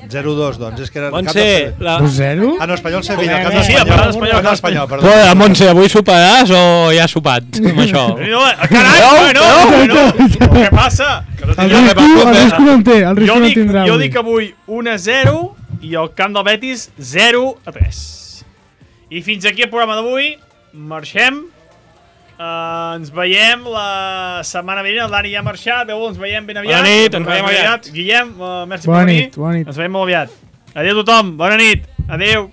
zero dos, doncs. És que era... Montse, la... dos zero? Ah, no, Espanyol Sevilla. El camp Sí, a favor de l'Espanyol. Ah, no, Espanyol, perdó. Bueno, Montse, avui soparàs o ja has sopat amb això? No, carai, bueno, bueno. Què passa? Que no El tinc risco, el risco no en té, el jo risco no dic, tindrà. jo avui. dic avui un a zero i el camp del Betis zero a tres. I fins aquí el programa d'avui. Marxem. Uh, ens veiem la setmana vinent. El Dani ja ha marxat. Adéu, ens veiem ben aviat. Bona nit, ens veiem aviat. Guillem, uh, merci Bona per venir. nit, bona nit. Ens veiem molt aviat. Adéu a tothom, bona nit. Adéu.